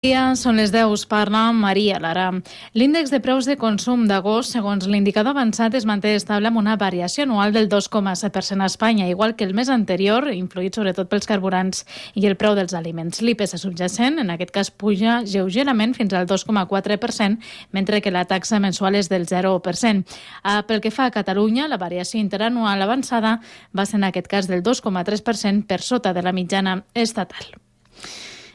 Dia són les 10, parla Maria Lara. L'índex de preus de consum d'agost, segons l'indicador avançat, es manté estable amb una variació anual del 2,7% a Espanya, igual que el mes anterior, influït sobretot pels carburants i el preu dels aliments. L'IPC subjacent, en aquest cas, puja lleugerament fins al 2,4%, mentre que la taxa mensual és del 0%. Pel que fa a Catalunya, la variació interanual avançada va ser en aquest cas del 2,3% per sota de la mitjana estatal.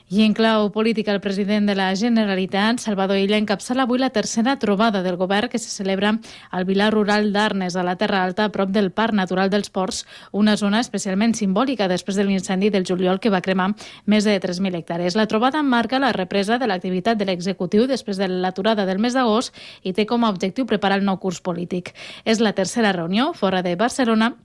I en clau política, el president de la Generalitat, Salvador Illa, encapçala avui la tercera trobada del govern que se celebra al Vilar Rural d'Arnes, a la Terra Alta, a prop del Parc Natural dels Ports, una zona especialment simbòlica després de l'incendi del juliol que va cremar més de 3.000 hectàrees. La trobada marca la represa de l'activitat de l'executiu després de l'aturada del mes d'agost i té com a objectiu preparar el nou curs polític. És la tercera reunió fora de Barcelona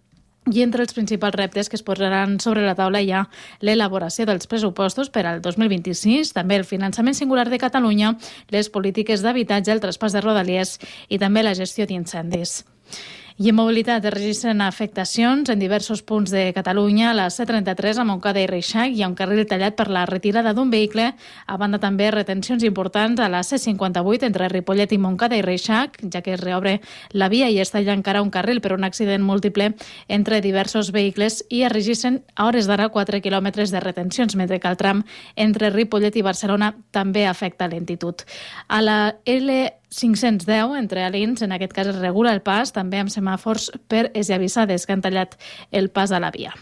i entre els principals reptes que es posaran sobre la taula hi ha l'elaboració dels pressupostos per al 2026, també el finançament singular de Catalunya, les polítiques d'habitatge, el traspàs de Rodalies i també la gestió d'incendis. I en mobilitat es registren afectacions en diversos punts de Catalunya. A la C33 a Montcada i Reixac hi ha un carril tallat per la retirada d'un vehicle. A banda també retencions importants a la C58 entre Ripollet i Montcada i Reixac, ja que es reobre la via i es talla encara un carril per un accident múltiple entre diversos vehicles i es registren a hores d'ara 4 quilòmetres de retencions, mentre que el tram entre Ripollet i Barcelona també afecta lentitud. A la L510, entre Alins, en aquest cas es regula el pas, també amb semàfors per esllavissades que han tallat el pas a la via.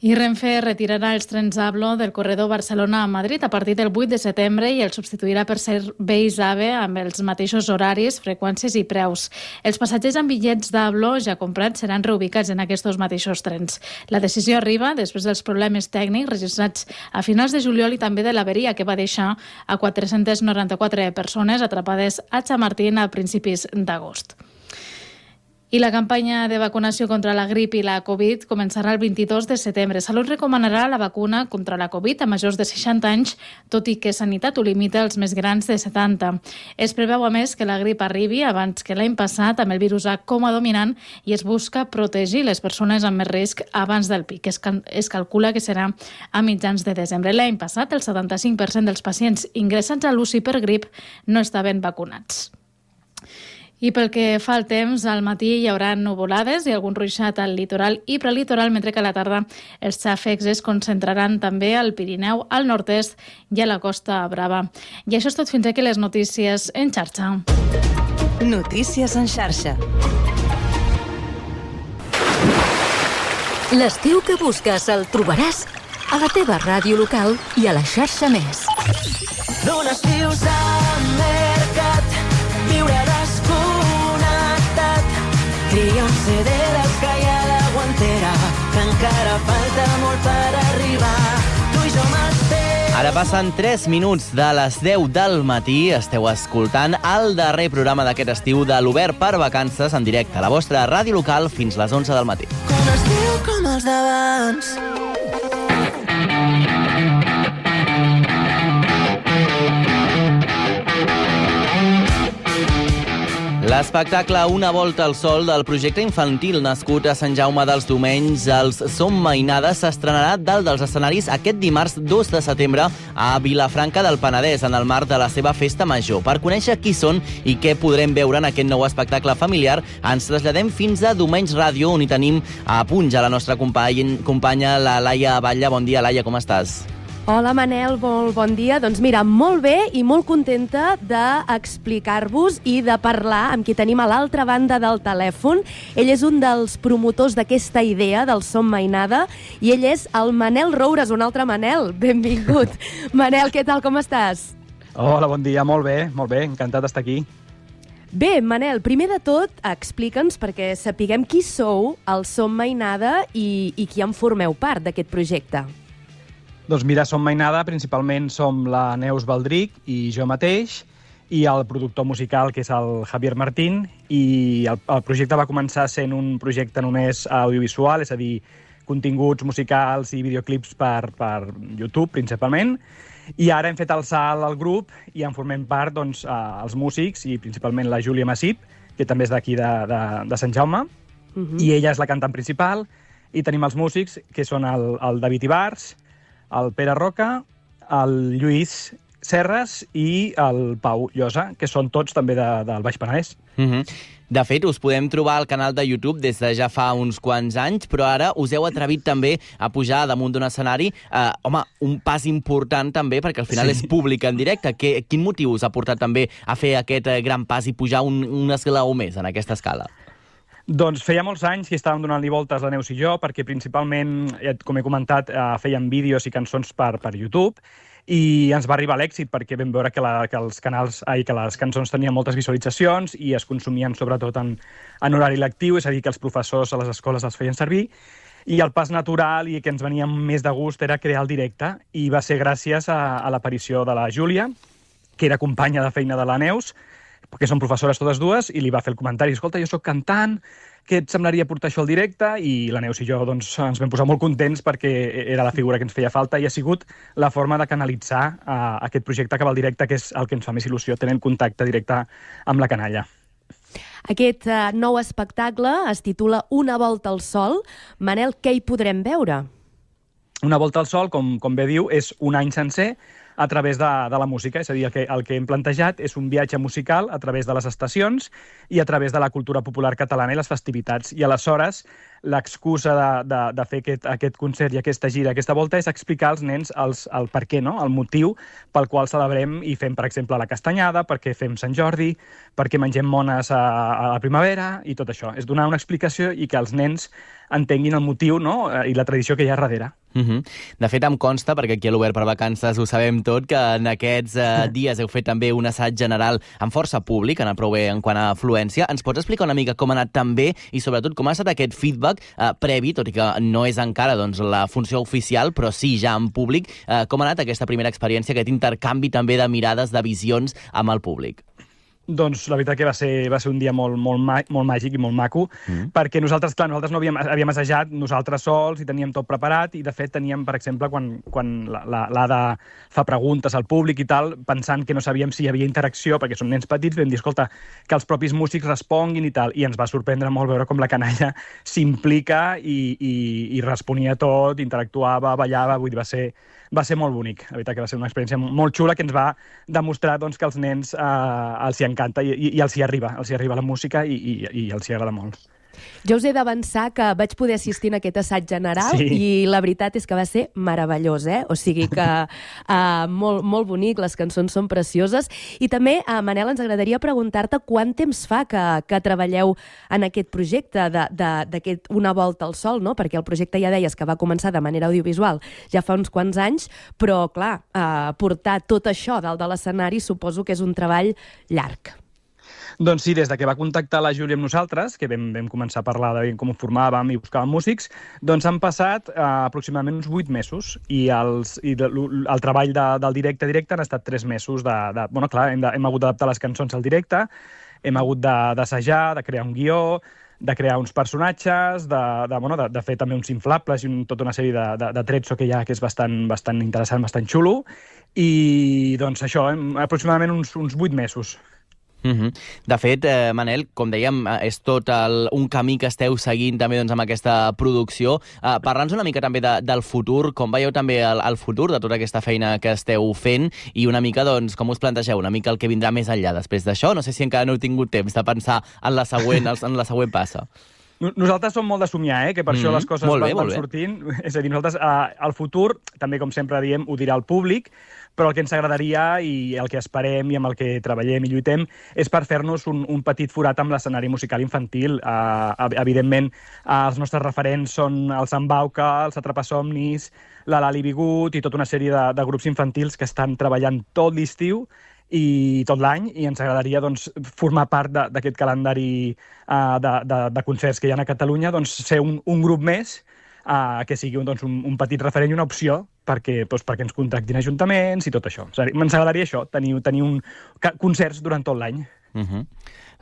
I Renfe retirarà els trens ABLO del corredor Barcelona a Madrid a partir del 8 de setembre i el substituirà per serveis AVE amb els mateixos horaris, freqüències i preus. Els passatgers amb bitllets d'ABLO ja comprats seran reubicats en aquests mateixos trens. La decisió arriba després dels problemes tècnics registrats a finals de juliol i també de l'averia que va deixar a 494 persones atrapades a Chamartín a principis d'agost. I la campanya de vacunació contra la grip i la Covid començarà el 22 de setembre. Salut recomanarà la vacuna contra la Covid a majors de 60 anys, tot i que Sanitat ho limita als més grans de 70. Es preveu, a més, que la grip arribi abans que l'any passat amb el virus A com a dominant i es busca protegir les persones amb més risc abans del pic. Es calcula que serà a mitjans de desembre. L'any passat, el 75% dels pacients ingressats a l'UCI per grip no estaven vacunats. I pel que fa al temps, al matí hi haurà nuvolades i algun ruixat al litoral i prelitoral, mentre que a la tarda els xàfecs es concentraran també al Pirineu, al nord-est i a la Costa Brava. I això és tot fins aquí les notícies en xarxa. Notícies en xarxa. L'estiu que busques el trobaràs a la teva ràdio local i a la xarxa Més. D'un estiu s'ha mercat viure desconnectat. Tria un CD dels que hi ha a la guantera, que encara falta molt per arribar. Tu i jo m'esperem. Ara passen 3 minuts de les 10 del matí. Esteu escoltant el darrer programa d'aquest estiu de l'Obert per Vacances en directe a la vostra ràdio local fins les 11 del matí. Un estiu com els d'abans. L'espectacle Una volta al sol del projecte infantil nascut a Sant Jaume dels Domenys, els Som Mainades, s'estrenarà dalt dels escenaris aquest dimarts 2 de setembre a Vilafranca del Penedès, en el marc de la seva festa major. Per conèixer qui són i què podrem veure en aquest nou espectacle familiar, ens traslladem fins a Domenys Ràdio, on hi tenim a punt ja la nostra companya, la Laia Batlle. Bon dia, Laia, com estàs? Hola, Manel, molt bon dia. Doncs mira, molt bé i molt contenta d'explicar-vos i de parlar amb qui tenim a l'altra banda del telèfon. Ell és un dels promotors d'aquesta idea del Som Mainada i ell és el Manel Roures, un altre Manel. Benvingut. Manel, què tal, com estàs? Hola, bon dia, molt bé, encantat d'estar aquí. Bé, Manel, primer de tot, explica'ns perquè sapiguem qui sou, el Som Mainada i qui en formeu part d'aquest projecte. Doncs mira, Som Mainada, principalment som la Neus Baldric i jo mateix, i el productor musical, que és el Javier Martín, i el projecte va començar sent un projecte només audiovisual, és a dir, continguts musicals i videoclips per YouTube, principalment, i ara hem fet el salt al grup i en formem part doncs, els músics, i principalment la Júlia Massip, que també és d'aquí de Sant Jaume, i ella és la cantant principal, i tenim els músics, que són el David Ibars, el Pere Roca, el Lluís, Serres i el Pau Llosa, que són tots també del Baix Penedès. De fet, us podem trobar al canal de YouTube des de ja fa uns quants anys, però ara us heu atrevit també a pujar damunt d'un escenari. Un pas important també, perquè al final és públic en directe. Quin motiu us ha portat també a fer aquest gran pas i pujar un esglaó més en aquesta escala? Doncs feia molts anys que estàvem donant-li voltes la Neus i jo, perquè principalment, com he comentat, fèiem vídeos i cançons per YouTube, i ens va arribar l'èxit perquè vam veure que les cançons tenien moltes visualitzacions i es consumien sobretot en horari lectiu, és a dir, que els professors a les escoles els feien servir, i el pas natural i que ens venia més de gust era crear el directe, i va ser gràcies a l'aparició de la Júlia, que era companya de feina de la Neus, perquè són professores totes dues, i li va fer el comentari: escolta, jo soc cantant, què et semblaria portar això al directe? I la Neus i jo ens vam posar molt contents perquè era la figura que ens feia falta i ha sigut la forma de canalitzar aquest projecte cap al directe, que és el que ens fa més il·lusió, tenint contacte directe amb la canalla. Aquest nou espectacle es titula Una volta al sol. Manel, què hi podrem veure? Una volta al sol, com bé diu, és un any sencer a través de la música. És a dir, el que hem plantejat és un viatge musical a través de les estacions i a través de la cultura popular catalana i les festivitats. I aleshores l'excusa de fer aquest concert i aquesta gira, aquesta volta, és explicar als nens el per què, no? El motiu pel qual celebrem i fem, per exemple, la castanyada, perquè fem Sant Jordi, perquè mengem mones a la primavera i tot això. És donar una explicació i que els nens entenguin el motiu, no? I la tradició que hi ha darrere. De fet, em consta, perquè aquí a l'Obert per Vacances ho sabem tot, que en aquests dies heu fet també un assaig general amb força públic, ha anat prou bé en quant a afluència. Ens pots explicar una mica com ha anat també i sobretot com ha estat aquest feedback previ, tot i que no és encara la funció oficial, però sí ja en públic, com ha anat aquesta primera experiència, aquest intercanvi també de mirades, de visions amb el públic? Doncs la veritat que va ser un dia molt màgic i molt maco, perquè nosaltres no havíem assajat nosaltres sols i teníem tot preparat, i de fet teníem, per exemple, quan l'Ada fa preguntes al públic i tal, pensant que no sabíem si hi havia interacció, perquè són nens petits, vam dir, escolta, que els propis músics responguin i tal, i ens va sorprendre molt veure com la canalla s'implica i responia tot, interactuava, ballava, vull dir, va ser molt bonic. La veritat que va ser una experiència molt xula que ens va demostrar doncs, que als nens els hi encanta i els hi arriba la música i els hi agrada molt. Jo us he d'avançar que vaig poder assistir en aquest assaig general i la veritat és que va ser meravellós, O sigui que molt bonic, les cançons són precioses. I també, Manel, ens agradaria preguntar-te quant temps fa que treballeu en aquest projecte d'aquest Una volta al sol, no? Perquè el projecte ja deies que va començar de manera audiovisual ja fa uns quants anys, però clar, portar tot això dalt de l'escenari suposo que és un treball llarg. Doncs sí, des que va contactar la Júlia amb nosaltres, que vam començar a parlar de com ho formàvem i buscàvem músics, doncs han passat aproximadament uns 8 mesos i el treball del directe han estat 3 mesos bueno, clar, hem hagut d'adaptar les cançons al directe, hem hagut d'assajar, de crear un guió, de crear uns personatges, de fer també uns inflables i tota una sèrie de trets que hi ha, que és bastant interessant, bastant xulo, i doncs això, aproximadament uns 8 mesos. De fet, Manel, com dèiem, és tot un camí que esteu seguint també amb aquesta producció. Parla'ns una mica també del futur, com veieu també el futur de tota aquesta feina que esteu fent i una mica, doncs, com us plantegeu, una mica el que vindrà més enllà després d'això? No sé si encara no heu tingut temps de pensar en la següent passa. Nosaltres som molt de somiar, que per això les coses van sortint. És a dir, nosaltres al futur, també com sempre diem, ho dirà el públic, però el que ens agradaria i el que esperem i amb el que treballem i lluitem és per fer-nos un petit forat amb l'escenari musical infantil. Evidentment, els nostres referents són el Sant Bauca, els Atrapasomnis, la Lali Bigut i tota una sèrie de grups infantils que estan treballant tot l'estiu i tot l'any, i ens agradaria doncs, formar part d'aquest calendari de concerts que hi ha a Catalunya, doncs, ser un grup més que sigui un petit referent i una opció perquè ens contractin ajuntaments i tot això. Ens agradaria això, tenir concerts durant tot l'any.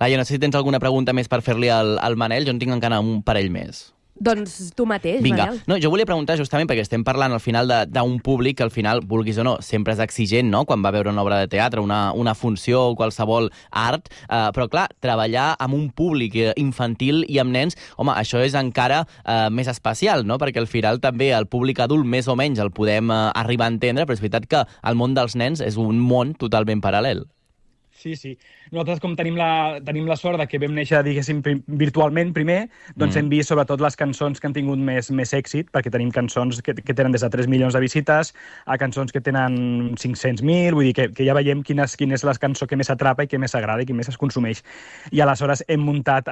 Laia, no sé si tens alguna pregunta més per fer-li al Manel, jo en tinc encara un parell més. Doncs tu mateix, Vinga. Manel. No, jo volia preguntar justament perquè estem parlant al final d'un públic que al final, vulguis o no, sempre és exigent, no?, quan va veure una obra de teatre, una funció o qualsevol art, però clar, treballar amb un públic infantil i amb nens, home, això és encara més especial, no?, perquè al final també el públic adult més o menys el podem arribar a entendre, però és veritat que el món dels nens és un món totalment paral·lel. Sí, sí. Nosaltres, com tenim la sort de que vam néixer, diguéssim, virtualment primer, doncs hem vist sobretot les cançons que han tingut més èxit, perquè tenim cançons que tenen des de 3 milions de visites a cançons que tenen 500.000, vull dir que ja veiem quina és la cançó que més atrapa i que més agrada i que més es consumeix. I aleshores hem muntat,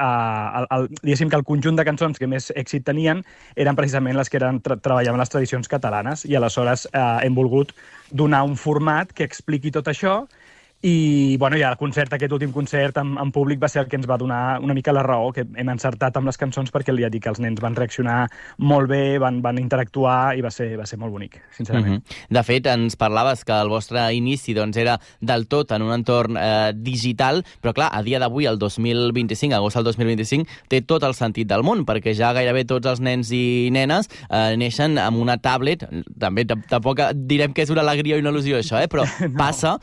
diguéssim que el conjunt de cançons que més èxit tenien eren precisament les que treballaven les tradicions catalanes, i aleshores hem volgut donar un format que expliqui tot això. I el concert, aquest últim concert en públic va ser el que ens va donar una mica la raó, que hem encertat amb les cançons perquè ja dic que els nens van reaccionar molt bé, van interactuar i va ser molt bonic, sincerament. De fet, ens parlaves que el vostre inici era del tot en un entorn digital, però clar, a dia d'avui, el 2025, agost del 2025, té tot el sentit del món, perquè ja gairebé tots els nens i nenes neixen amb una tablet. També tampoc direm que és una alegria i una il·lusió això, però passa,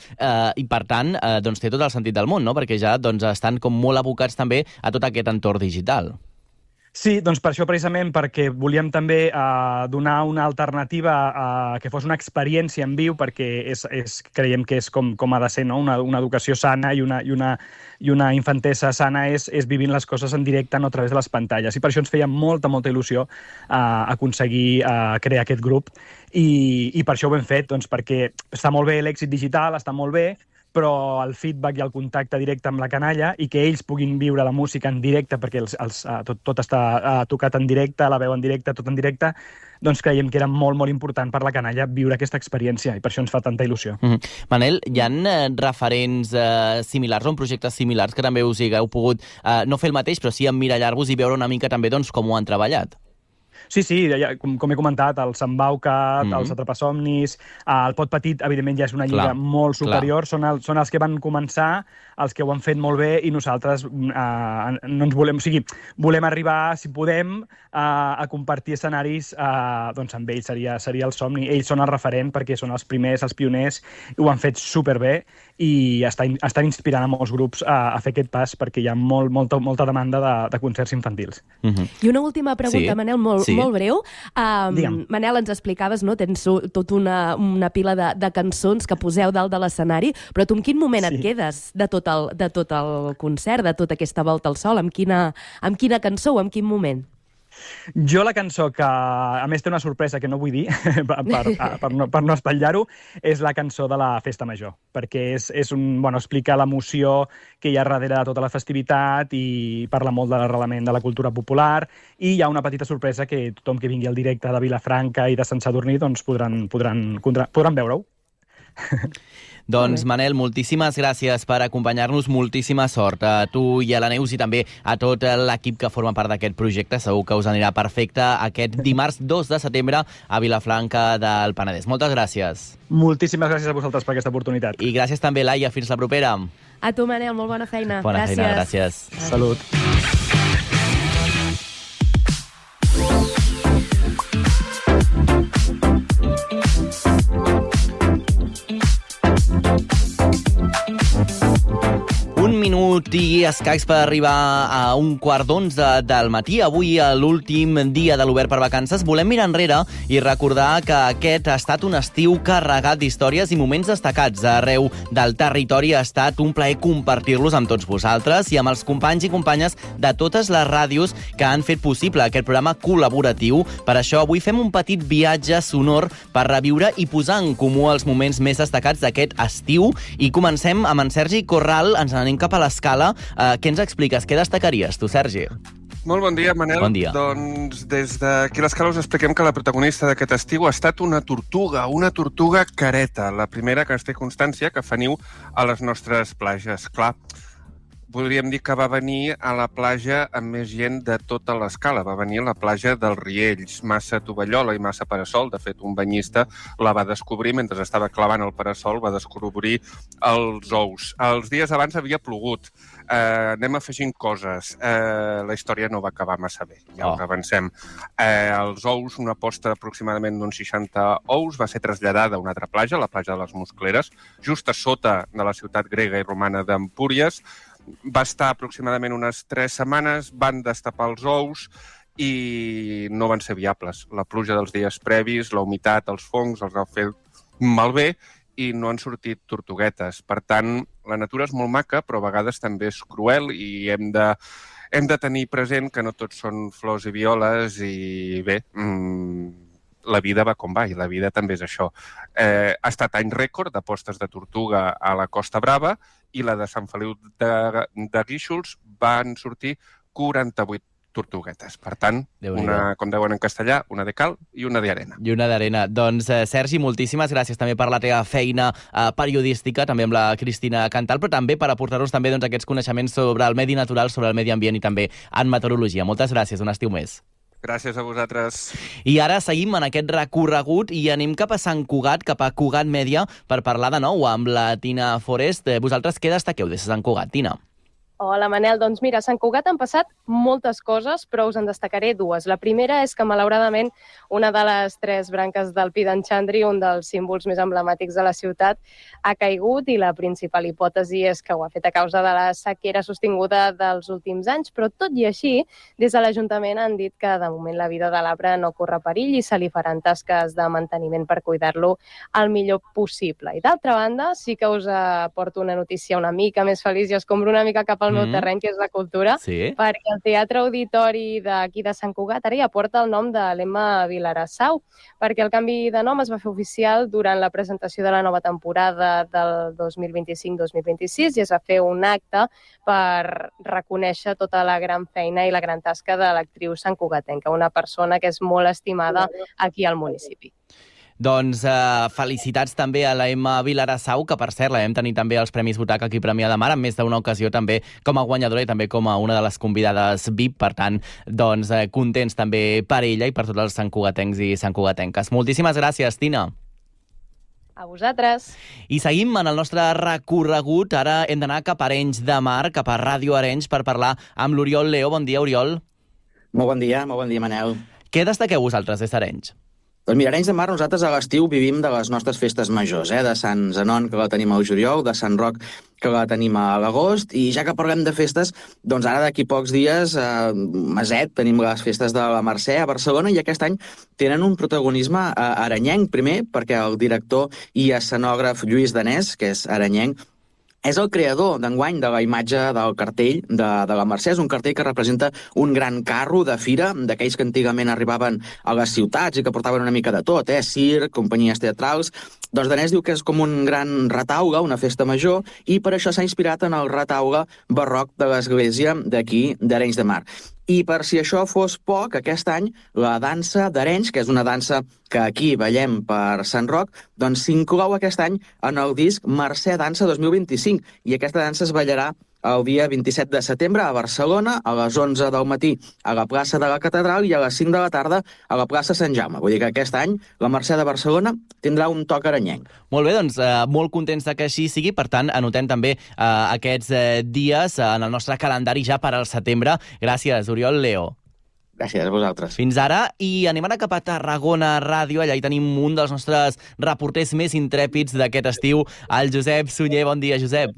i per tant, té tot el sentit del món, no?, perquè ja estan com molt abocats també a tot aquest entorn digital. Sí, doncs per això precisament, perquè volíem també donar una alternativa que fos una experiència en viu, perquè creiem que és com ha de ser, no? Una educació sana i una infantesa sana és vivint les coses en directe, no a través de les pantalles. I per això ens feia molta il·lusió aconseguir crear aquest grup, i per això ho hem fet, doncs perquè està molt bé l'èxit digital, està molt bé, però el feedback i el contacte directe amb la canalla i que ells puguin viure la música en directe, perquè tot està tocat en directe, la veu en directe, tot en directe, doncs creiem que era molt important per la canalla viure aquesta experiència, i per això ens fa tanta il·lusió. Manel, hi ha referents similars o projectes similars que també us hagueu pogut no fer el mateix, però sí emmirallar-vos i veure una mica també com ho han treballat? Sí, com he comentat, el Sant Bauca, els Atrapasomnis, el Pot Petit, evidentment, ja és una lliga molt superior, són els que van començar, els que ho han fet molt bé, i nosaltres no ens volem... O sigui, volem arribar, si podem, a compartir escenaris amb ells, seria el somni. Ells són el referent perquè són els primers, els pioners, i ho han fet superbé, i estan inspirant a molts grups a fer aquest pas, perquè hi ha molta demanda de concerts infantils. I una última pregunta, Manel, molt breu. Manel, ens explicaves, no? Tens tota una pila de cançons que poseu dalt de l'escenari, però tu en quin moment et quedes de tot el concert, de tota aquesta volta al sol? Amb quina cançó o en quin moment? Jo la cançó que, a més, té una sorpresa que no vull dir, per no espatllar-ho, és la cançó de la Festa Major, perquè explica l'emoció que hi ha darrere de tota la festivitat i parla molt de l'arrelament de la cultura popular, i hi ha una petita sorpresa que tothom que vingui al directe de Vilafranca i de Sant Sadurní doncs podran veure-ho. Doncs, Manel, moltíssimes gràcies per acompanyar-nos, moltíssima sort a tu i a la Neus i també a tot l'equip que forma part d'aquest projecte. Segur que us anirà perfecte aquest dimarts 2 de setembre a Vilafranca del Penedès. Moltes gràcies. Moltíssimes gràcies a vosaltres per aquesta oportunitat. I gràcies també, Laia. Fins la propera. A tu, Manel, molt bona feina. Bona feina, gràcies. Salut. Minut i escacs per arribar a 1:15 del matí. Avui, a l'últim dia de l'Obert per Vacances, volem mirar enrere i recordar que aquest ha estat un estiu carregat d'històries i moments destacats arreu del territori. Ha estat un plaer compartir-los amb tots vosaltres i amb els companys i companyes de totes les ràdios que han fet possible aquest programa col·laboratiu. Per això, avui fem un petit viatge sonor per reviure i posar en comú els moments més destacats d'aquest estiu. I comencem amb en Sergi Corral. Ens n'anem cap a l'Escala. Què ens expliques? Què destacaries, tu, Sergi? Molt bon dia, Manel. Bon dia. Doncs des d'aquí a l'Escala us expliquem que la protagonista d'aquest estiu ha estat una tortuga careta, la primera que es té constància que fa niu a les nostres platges. Clar, podríem dir que va venir a la platja amb més gent de tota l'escala. Va venir a la platja dels Riells, massa tovallola i massa parasol. De fet, un banyista la va descobrir mentre estava clavant el parasol, va descobrir els ous. Els dies abans havia plogut. Anem afegint coses. La història no va acabar massa bé, ja us avancem. Els ous, una posta aproximadament d'uns 60 ous, va ser traslladada a una altra platja, la platja de les Muscleres, just a sota de la ciutat grega i romana d'Empúries. Va estar aproximadament unes 3 setmanes, van destapar els ous i no van ser viables. La pluja dels dies previs, la humitat, els fongs, els ha fet malbé i no han sortit tortuguetes. Per tant, la natura és molt maca, però a vegades també és cruel i hem de tenir present que no tots són flors i violes i bé, la vida va com va i la vida també és això. Ha estat any rècord de postes de tortuga a la Costa Brava i la de Sant Feliu de Guíxols van sortir 48 tortuguetes. Per tant, una, com deuen en castellà, una de cal i una d'arena. I una d'arena. Doncs, Sergi, moltíssimes gràcies també per la teva feina periodística, també amb la Cristina Cantal, però també per aportar-nos també aquests coneixements sobre el medi natural, sobre el medi ambient i també en meteorologia. Moltes gràcies, un estiu més. Gràcies a vosaltres. I ara seguim en aquest recorregut i anem cap a Sant Cugat, cap a Cugat Mèdia, per parlar de nou amb la Tina Forest. Vosaltres què destaqueu des de Sant Cugat, Tina? Hola, Manel. Doncs mira, a Sant Cugat han passat moltes coses, però us en destacaré dues. La primera és que, malauradament, una de les 3 branques del Pi d'en Xandri, un dels símbols més emblemàtics de la ciutat, ha caigut i la principal hipòtesi és que ho ha fet a causa de la sequera sostinguda dels últims anys, però tot i així, des de l'Ajuntament han dit que de moment la vida de l'arbre no corre perill i se li faran tasques de manteniment per cuidar-lo el millor possible. I d'altra banda, sí que us porto una notícia una mica més feliç i escombro una mica cap al meu terreny, que és la cultura, perquè el Teatre Auditori d'aquí de Sant Cugat ara ja porta el nom de l'Emma Vilarassau, perquè el canvi de nom es va fer oficial durant la presentació de la nova temporada del 2025-2026 i es va fer un acte per reconèixer tota la gran feina i la gran tasca de l'actriu santcugatenca, una persona que és molt estimada aquí al municipi. Doncs felicitats també a la Emma Vilarassau, que per cert la vam tenir també als Premis Butaca aquí a Premià de Mar, en més d'una ocasió també com a guanyadora i també com a una de les convidades VIP. Per tant, doncs contents també per ella i per tots els santcugatencs i santcugatenques. Moltíssimes gràcies, Tina. A vosaltres. I seguim en el nostre recorregut. Ara hem d'anar cap a Arenys de Mar, cap a Ràdio Arenys, per parlar amb l'Oriol Leo. Bon dia, Oriol. Molt bon dia, Manel. Què destaqueu vosaltres des d'Arenys? Doncs mira, Arenys de Mar, nosaltres a l'estiu vivim de les nostres festes majors, de Sant Zenon, que la tenim al juliol, de Sant Roc, que la tenim a l'agost, i ja que parlem de festes, doncs ara d'aquí pocs dies, meset, tenim les festes de la Mercè a Barcelona, i aquest any tenen un protagonisme arenyenc, primer perquè el director i escenògraf Lluís Danés, que és arenyenc, és el creador d'enguany de la imatge del cartell de la Mercè. És un cartell que representa un gran carro de fira, d'aquells que antigament arribaven a les ciutats i que portaven una mica de tot, circ, companyies teatrals. Doncs Danés diu que és com un gran retaule, una festa major, i per això s'ha inspirat en el retaule barroc de l'església d'aquí d'Arenys de Mar. I per si això fos poc, aquest any la dansa d'Arenys, que és una dansa que aquí ballem per Sant Roc, doncs s'inclou aquest any en el disc Mercè Dansa 2025, i aquesta dansa es ballarà el dia 27 de setembre a Barcelona, a les 11 del matí a la plaça de la Catedral i a les 5 de la tarda a la plaça Sant Jaume. Vull dir que aquest any la Mercè de Barcelona tindrà un toc arenyenc. Molt bé, doncs molt contents que així sigui. Per tant, anotem també aquests dies en el nostre calendari ja per al setembre. Gràcies, Oriol Leo. Gràcies a vosaltres. Fins ara, i anem ara cap a Tarragona Ràdio. Allà hi tenim un dels nostres reporters més intrèpids d'aquest estiu, el Josep Sunyer. Bon dia, Josep.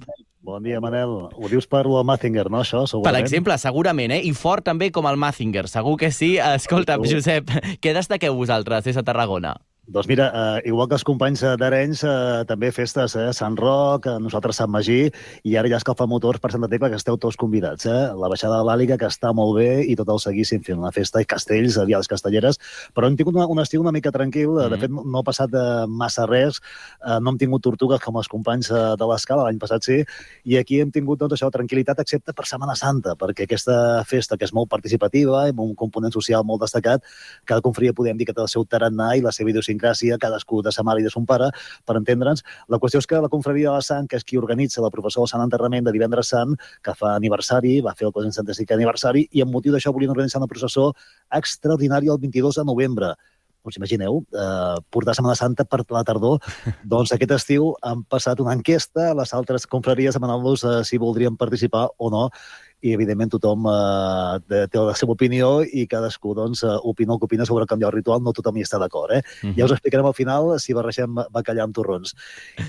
Bon dia, Manel. Ho dius per el Mazinger, no, això? Segurament. Per exemple, segurament, I fort també com el Mazinger. Segur que sí. Escolta, Josep, què destaqueu vosaltres des de Tarragona? Doncs mira, igual que els companys d'Arenys, també festes, Sant Roc, nosaltres Sant Magí, i ara ja escalfamotors per Santa Tecla, que esteu tots convidats. La baixada de l'Àliga, que està molt bé, i tot el seguíssim fent una festa, i castells, vials castelleres, però hem tingut un estiu una mica tranquil, de fet no ha passat massa res, no hem tingut tortugues com els companys de l'Escala, l'any passat sí, i aquí hem tingut doncs, això, tranquil·litat, excepte per Setmana Santa, perquè aquesta festa, que és molt participativa, amb un component social molt destacat, cada confraria podem dir que té el seu tarannà i la seva idiosincràsia idiosincràsia, cadascú de sa mare i de son pare, per entendre'ns. La qüestió és que la confraria de la Sant, que és qui organitza la professor del Sant Enterrament de divendres sant, que fa aniversari, va fer el 475è aniversari, i amb motiu d'això volien organitzar una processó extraordinària el 22 de novembre. Us imagineu, portar Setmana Santa per la tardor. Doncs aquest estiu han passat una enquesta a les altres confraries demanant-los si voldrien participar o no, i evidentment tothom té la seva opinió i cadascú opina el que opina sobre canviar el ritual, no tothom hi està d'acord. Ja us explicarem al final si barregem bacallà amb torrons.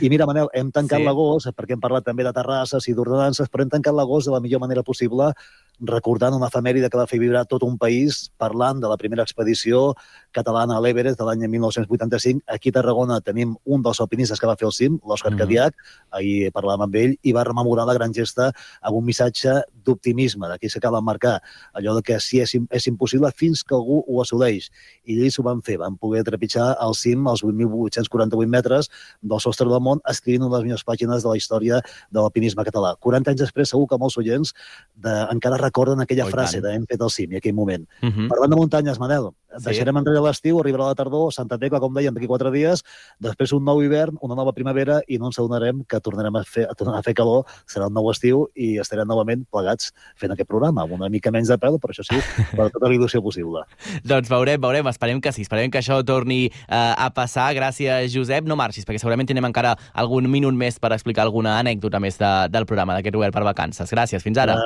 I mira, Manel, hem tancat l'agost, perquè hem parlat també de terrasses i d'ordenances, però hem tancat l'agost de la millor manera possible, recordant una efemèride que va fer vibrar tot un país, parlant de la primera expedició catalana a l'Everest de l'any 1985. Aquí a Tarragona tenim un dels alpinistes que va fer el cim, l'Òscar Cadiach, ahir parlàvem amb ell, i va rememorar la gran gesta amb un missatge d'optimisme, d'aquí s'acaba d'emmarcar allò de que sí és impossible fins que algú ho assoleix. I ells ho van fer, van poder trepitjar al cim als 8.848 metres del sostre del món, escrivint una de les millors pàgines de la història de l'alpinisme català. 40 anys després, segur que molts oients encara recorden aquella frase de hem fet el cim i aquell moment. Parlant de muntanyes, Manel, deixarem enrere l'estiu, arribarà la tardor, Santa Tecla, com dèiem, d'aquí 4 dies, després un nou hivern, una nova primavera, i no ens adonarem que tornarem a fer calor, serà un nou estiu i estarem novament plegats fent aquest programa, amb una mica menys de pèl, però això sí, per tota la il·lusió possible. Doncs veurem, esperem que sí, esperem que això torni a passar. Gràcies, Josep. No marxis, perquè segurament tenim encara algun minut més per explicar alguna anècdota més del programa d'aquest Obert per Vacances. Gràcies, fins ara.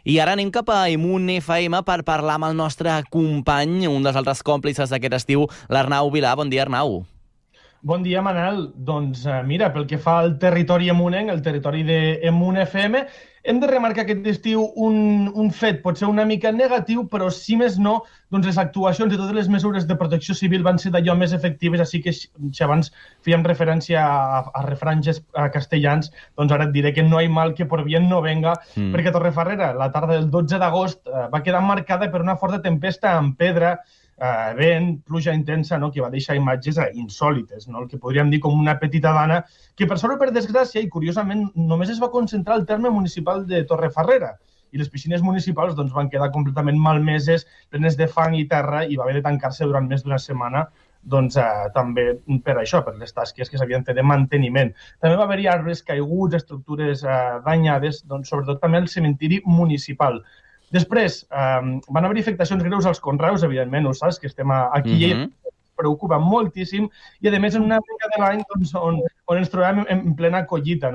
I ara anem cap a Emun FM per parlar amb el nostre company, un dels altres còmplices d'aquest estiu, l'Arnau Vilà. Bon dia, Arnau. Bon dia, Manel. Doncs mira, pel que fa al territori emunenc, el territori d'Emun FM, hem de remarcar aquest estiu un fet potser una mica negatiu, però si més no, doncs les actuacions i totes les mesures de protecció civil van ser d'allò més efectives, així que si abans fèiem referència a refranys castellans, doncs ara et diré que no hi mal que por bien no venga, perquè a Torrefarrera, la tarda del 12 d'agost, va quedar marcada per una forta tempesta amb pedra, vent, pluja intensa, que va deixar imatges insòlites, el que podríem dir com una petita dana, que per sort o per desgràcia, i curiosament, només es va concentrar al terme municipal de Torrefarrera, i les piscines municipals van quedar completament malmeses, plenes de fang i terra, i va haver de tancar-se durant més d'una setmana, també per això, per les tasques que s'havien fet de manteniment. També va haver-hi arbres caiguts, estructures danyades, sobretot també al cementiri municipal. Després, van haver afectacions greus als conreus, evidentment, ho saps, que estem aquí i ens preocupa moltíssim, i a més en una època de l'any on ens trobem en plena collita,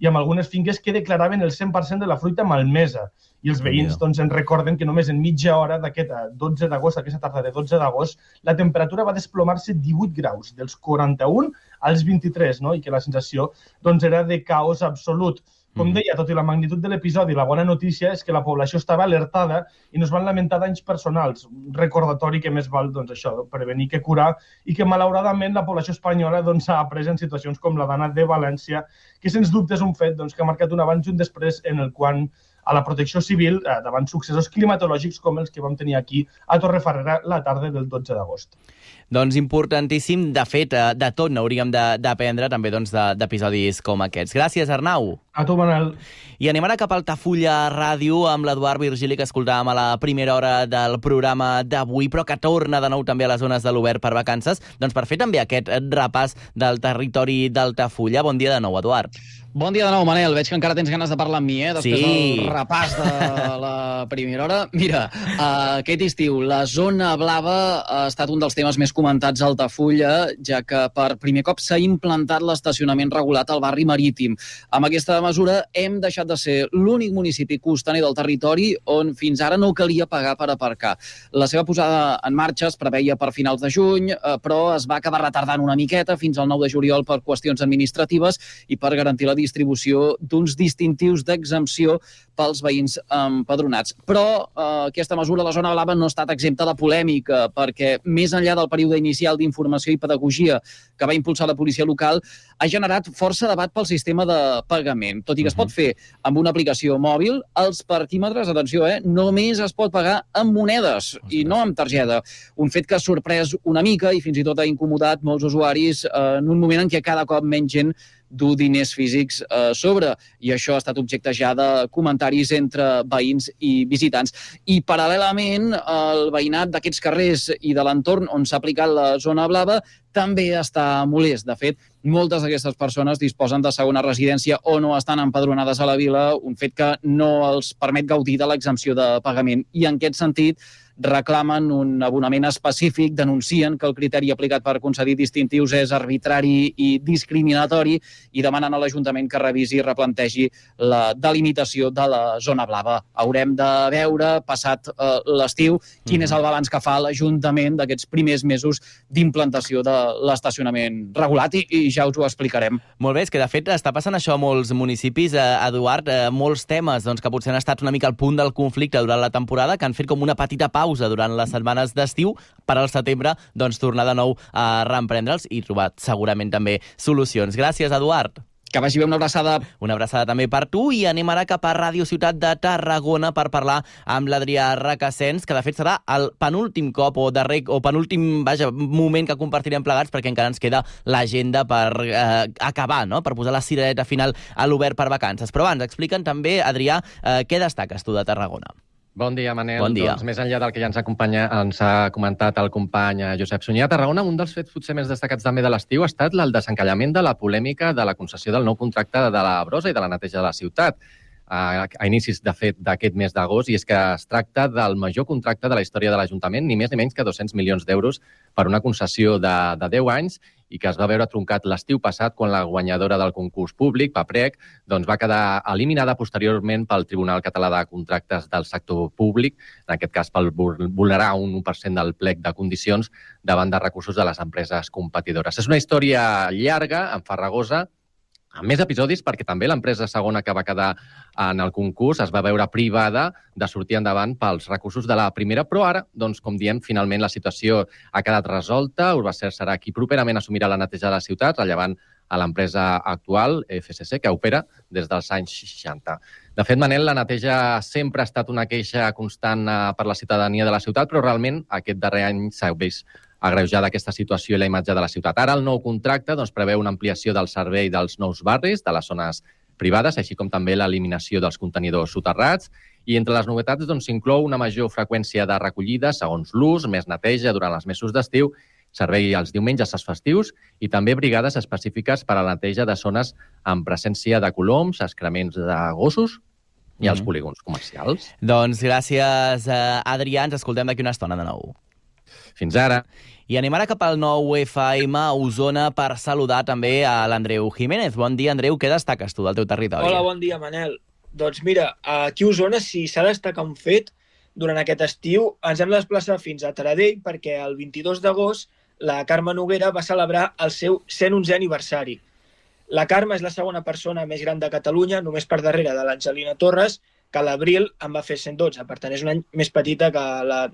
i amb algunes finques que declaraven el 100% de la fruita malmesa. I els veïns ens recorden que només en mitja hora d'aquest 12 d'agost, aquesta tarda de 12 d'agost, la temperatura va desplomar-se 18 graus, dels 41 als 23, i que la sensació era de caos absolut. Com deia, tot i la magnitud de l'episodi, la bona notícia és que la població estava alertada i no es van lamentar danys personals. Un recordatori que més val, això, prevenir que curar, i que malauradament la població espanyola ha après en situacions com la d'Anna de València, que sens dubte és un fet que ha marcat un abans i un després en el qual a la protecció civil davant successos climatològics com els que vam tenir aquí a Torrefarrera la tarda del 12 d'agost. Doncs importantíssim, de fet, de tot n'hauríem d'aprendre també d'episodis com aquests. Gràcies, Arnau. A tu, Manel. I anem ara cap a Altafulla Ràdio amb l'Eduard Virgili, que escoltàvem a la primera hora del programa d'avui, però que torna de nou també a les zones de l'Obert per Vacances, per fer també aquest repàs del territori d'Altafulla. Bon dia de nou, Eduard. Bon dia de nou, Manel. Veig que encara tens ganes de parlar amb mi, després del repàs de la primera hora. Mira, aquest estiu la zona blava ha estat un dels temes més comentats a Altafulla, ja que per primer cop s'ha implantat l'estacionament regulat al barri marítim. Amb aquesta mesura hem deixat de ser l'únic municipi costaner del territori on fins ara no calia pagar per aparcar. La seva posada en marxa es preveia per finals de juny, però es va acabar retardant una miqueta fins al 9 de juliol per qüestions administratives i per garantir la distribució d'uns distintius d'exempció pels veïns empadronats. Però aquesta mesura, la zona blava, no ha estat exempta de polèmica, perquè més enllà del període inicial d'informació i pedagogia que va impulsar la policia local, ha generat força debat pel sistema de pagament. Tot i que es pot fer amb una aplicació mòbil, els parquímetres, atenció, només es pot pagar amb monedes i no amb targeta. Un fet que ha sorprès una mica i fins i tot ha incomodat molts usuaris en un moment en què cada cop menys gent dur diners físics sobre, i això ha estat objecte ja de comentaris entre veïns i visitants. I paral·lelament, el veïnat d'aquests carrers i de l'entorn on s'ha aplicat la zona blava també està molest. De fet, moltes d'aquestes persones disposen de segona residència o no estan empadronades a la vila, un fet que no els permet gaudir de l'exempció de pagament. I en aquest sentit, reclamen un abonament específic, denuncien que el criteri aplicat per concedir distintius és arbitrari i discriminatori i demanen a l'Ajuntament que revisi i replantegi la delimitació de la zona blava. Haurem de veure, passat l'estiu, quin és el balanç que fa l'Ajuntament d'aquests primers mesos d'implantació de l'estacionament regulat i ja us ho explicarem. Molt bé, és que de fet està passant això a molts municipis, Eduard, molts temes que potser han estat una mica al punt del conflicte durant la temporada, que han fet com una petita pausa durant les setmanes d'estiu per al setembre tornar de nou a reemprendre'ls i trobar segurament també solucions. Gràcies, Eduard. Que vagi bé, una abraçada. Una abraçada també per tu, i anem ara cap a Ràdio Ciutat de Tarragona per parlar amb l'Adrià Requesens, que de fet serà el penúltim cop o penúltim moment que compartirem plegats, perquè encara ens queda l'agenda per acabar, no? Per posar la cirereta final a l'Obert per Vacances. Però abans, explica'ns també, Adrià, què destaques tu de Tarragona? Bon dia, Manel. Bon dia. Doncs més enllà del que ja ens ha comentat el company Josep Sunyer, a Tarragona un dels fets potser més destacats també de l'estiu ha estat el desencallament de la polèmica de la concessió del nou contracte de la brossa i de la neteja de la ciutat a inicis, de fet, d'aquest mes d'agost, i és que es tracta del major contracte de la història de l'Ajuntament, ni més ni menys que 200 milions d'euros per una concessió de 10 anys, i que es va veure truncat l'estiu passat quan la guanyadora del concurs públic, Paprec, va quedar eliminada posteriorment pel Tribunal Català de Contractes del Sector Públic, en aquest cas per vulnerar un 1% del plec de condicions davant de recursos de les empreses competidores. És una història llarga, enfarragosa, amb més episodis, perquè també l'empresa segona que va quedar en el concurs es va veure privada de sortir endavant pels recursos de la primera, però ara, com diem, finalment la situació ha quedat resolta. Urbacer serà qui properament assumirà la neteja de la ciutat, rellevant a l'empresa actual, FCC, que opera des dels anys 60. De fet, Manel, la neteja sempre ha estat una queixa constant per la ciutadania de la ciutat, però realment aquest darrer any s'ha vist agreujada aquesta situació i la imatge de la ciutat. Ara el nou contracte preveu una ampliació del servei dels nous barris, de les zones privades, així com també l'eliminació dels contenidors soterrats, i entre les novetats s'inclou una major freqüència de recollida segons l'ús, més neteja durant els mesos d'estiu, servei els diumenges als festius i també brigades específiques per a la neteja de zones amb presència de coloms, excrements de gossos i els polígons comercials. Doncs gràcies, Adrià. Ens escoltem d'aquí una estona de nou. Fins ara. I anem ara cap al 9FM a Osona per saludar també a l'Andreu Jiménez. Bon dia, Andreu. Què destaques tu del teu territori? Hola, bon dia, Manel. Doncs mira, aquí a Osona, si s'ha de destacar un fet, durant aquest estiu ens hem de desplaçar fins a Taradell perquè el 22 d'agost la Carme Noguera va celebrar el seu 111è aniversari. La Carme és la segona persona més gran de Catalunya, només per darrere de l'Angelina Torres, que a l'abril en va fer 112, per tant és un any més petita que la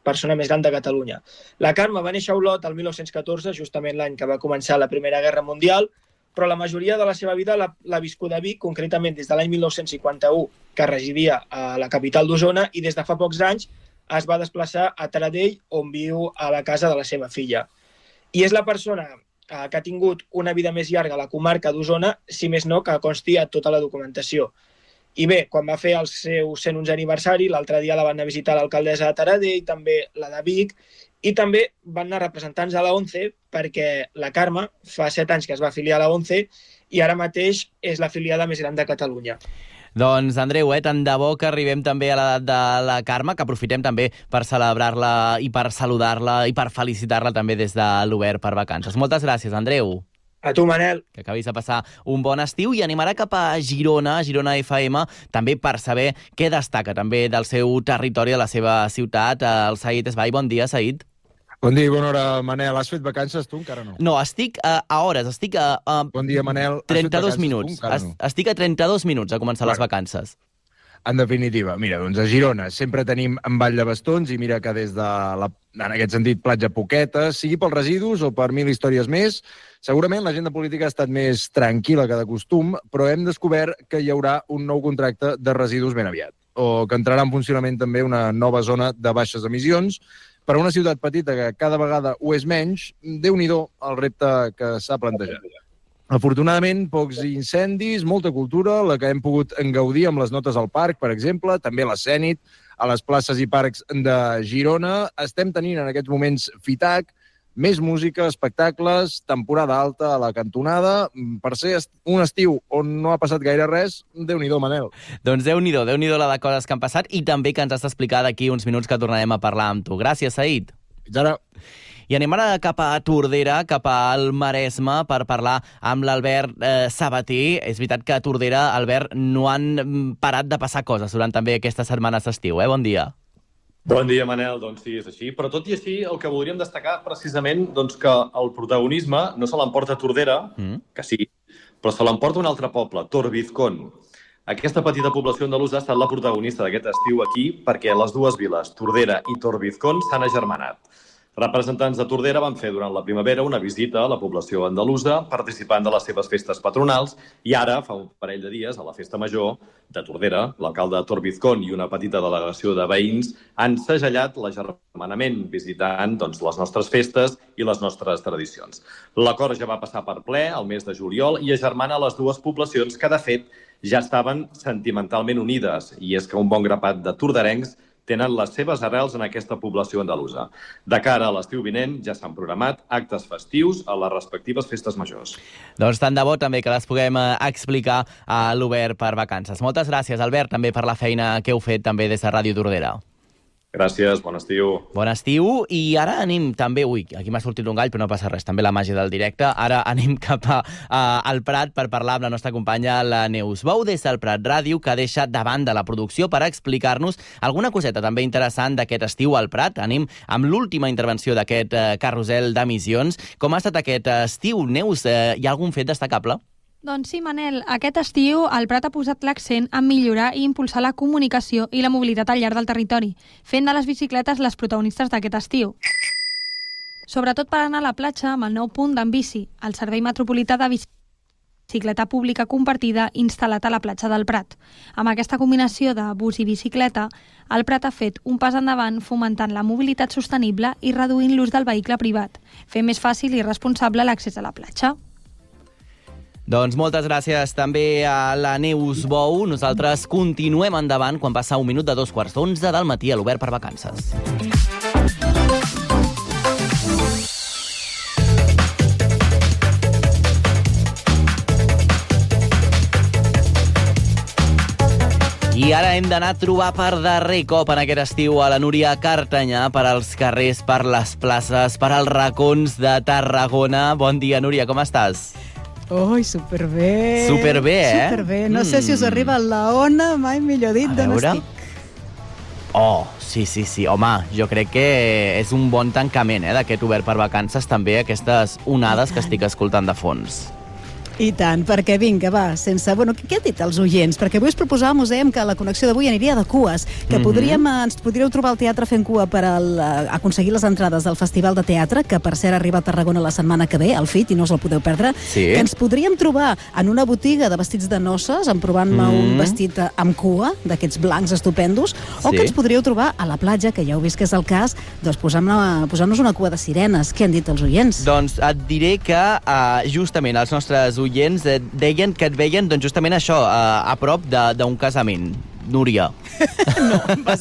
persona més gran de Catalunya. La Carme va néixer a Olot el 1914, justament l'any que va començar la Primera Guerra Mundial, però la majoria de la seva vida l'ha viscut a Vic, concretament des de l'any 1951, que residia a la capital d'Osona, i des de fa pocs anys es va desplaçar a Taradell, on viu a la casa de la seva filla. I és la persona que ha tingut una vida més llarga a la comarca d'Osona, si més no, que consti a tota la documentació. I bé, quan va fer el seu 111è aniversari, l'altre dia la van anar a visitar l'alcaldessa de Taradell, també la de Vic, i també van anar representants a la ONCE, perquè la Carme fa 7 anys que es va afiliar a la ONCE i ara mateix és l'afiliada més gran de Catalunya. Doncs, Andreu, tant de bo que arribem també a l'edat de la Carme, que aprofitem també per celebrar-la i per saludar-la i per felicitar-la també des de l'Obert per Vacances. Moltes gràcies, Andreu. A tu, Manel. Que acabis de passar un bon estiu, i anem ara cap a Girona, Girona FM, també per saber què destaca també del seu territori, de la seva ciutat. El Said Esbai. Bon dia, Said. Bon dia i bona hora, Manel. Has fet vacances tu? Encara no. No, estic a hores, estic a bon dia, Manel. 32 minuts. Estic a 32 minuts a començar les vacances. En definitiva, mira, doncs a Girona sempre tenim en Vall de Bastons, i mira que des de, en aquest sentit, platja poqueta, sigui pels residus o per 1000 històries més, segurament l'agenda política ha estat més tranquil·la que de costum, però hem descobert que hi haurà un nou contracte de residus ben aviat, o que entrarà en funcionament també una nova zona de baixes emissions. Per a una ciutat petita que cada vegada ho és menys, Déu-n'hi-do el repte que s'ha plantejat. Afortunadament, pocs incendis, molta cultura, la que hem pogut gaudir amb les notes al parc, per exemple, també l'Escènit, a les places i parcs de Girona. Estem tenint en aquests moments FITAC, més música, espectacles, temporada alta a la cantonada. Per ser un estiu on no ha passat gaire res, Déu-n'hi-do, Manel. Doncs Déu-n'hi-do la de coses que han passat i també que ens has d'explicar d'aquí uns minuts que tornarem a parlar amb tu. Gràcies, Saïd. Fins ara. I anem ara cap a Tordera, cap al Maresme, per parlar amb l'Albert Sabater. És veritat que a Tordera, Albert, no han parat de passar coses durant també aquestes setmanes d'estiu. Bon dia. Bon dia, Manel. Doncs sí, és així. Però tot i així, el que voldríem destacar precisament doncs, que el protagonisme no se l'emporta Tordera, que sí, però se l'emporta un altre poble, Torbizcón. Aquesta petita població andalusa ha estat la protagonista d'aquest estiu aquí perquè les dues viles, Tordera i Torbizcón, s'han agermanat. Representants de Tordera van fer durant la primavera una visita a la població andalusa participant de les seves festes patronals i ara, fa un parell de dies, a la festa major de Tordera, l'alcalde de Torbizcón i una petita delegació de veïns han segellat l'agermanament visitant les nostres festes i les nostres tradicions. L'acord ja va passar per ple el mes de juliol i agermana les dues poblacions que, de fet, ja estaven sentimentalment unides i és que un bon grapat de torderencs tenen les seves arrels en aquesta població andalusa. De cara a l'estiu vinent ja s'han programat actes festius a les respectives festes majors. Doncs tant de bo també que les puguem explicar a l'Obert per Vacances. Moltes gràcies, Albert, també per la feina que heu fet també des de Ràdio Tordera. Gràcies, bon estiu. Bon estiu, i ara anem també... Ui, aquí m'ha sortit un gall, però no passa res, també la màgia del directe. Ara anem cap al Prat per parlar amb la nostra companya, la Neus Bou, des del Prat Ràdio, que deixa de banda la producció per explicar-nos alguna coseta també interessant d'aquest estiu al Prat. Anem amb l'última intervenció d'aquest carrusel d'emissions. Com ha estat aquest estiu, Neus? Hi ha algun fet destacable? Doncs sí, Manel, aquest estiu el Prat ha posat l'accent en millorar i impulsar la comunicació i la mobilitat al llarg del territori, fent de les bicicletes les protagonistes d'aquest estiu. Sobretot per anar a la platja amb el nou punt d'en bici, el Servei Metropolità de Bicicleta Pública Compartida instal·lat a la platja del Prat. Amb aquesta combinació de bus i bicicleta, el Prat ha fet un pas endavant fomentant la mobilitat sostenible i reduint l'ús del vehicle privat, fent més fàcil i responsable l'accés a la platja. Doncs moltes gràcies també a la Neus Bou. Nosaltres continuem endavant quan passa 1 minut de 2:15 del matí a l'Obert per Vacances. I ara hem d'anar a trobar per darrer cop en aquest estiu a la Núria Cartanyà, per als carrers, per les places, per als racons de Tarragona. Bon dia, Núria, com estàs? Ui, superbé. Superbé, eh? Superbé. No sé si us arriba la ona, mai millor dit, d'on estic. Oh, sí. Home, jo crec que és un bon tancament d'aquest Obert per Vacances, també aquestes onades que estic escoltant de fons. I tant, perquè vinga, va, sense... Bueno, què han dit els oients? Perquè avui us proposàvem, us dèiem que la connexió d'avui aniria de cues, que ens podríeu trobar al teatre fent cua per aconseguir les entrades del Festival de Teatre, que per cert arriba a Tarragona la setmana que ve, al FIT, i no us el podeu perdre, que ens podríem trobar en una botiga de vestits de noces, provant-me un vestit amb cua, d'aquests blancs estupendos, o que ens podríeu trobar a la platja, que ja heu vist que és el cas, doncs posant-nos una cua de sirenes. Què han dit els oients? Doncs et diré que justament els nostres oients deien que et veien doncs, justament això, a prop d'un casament. Núria.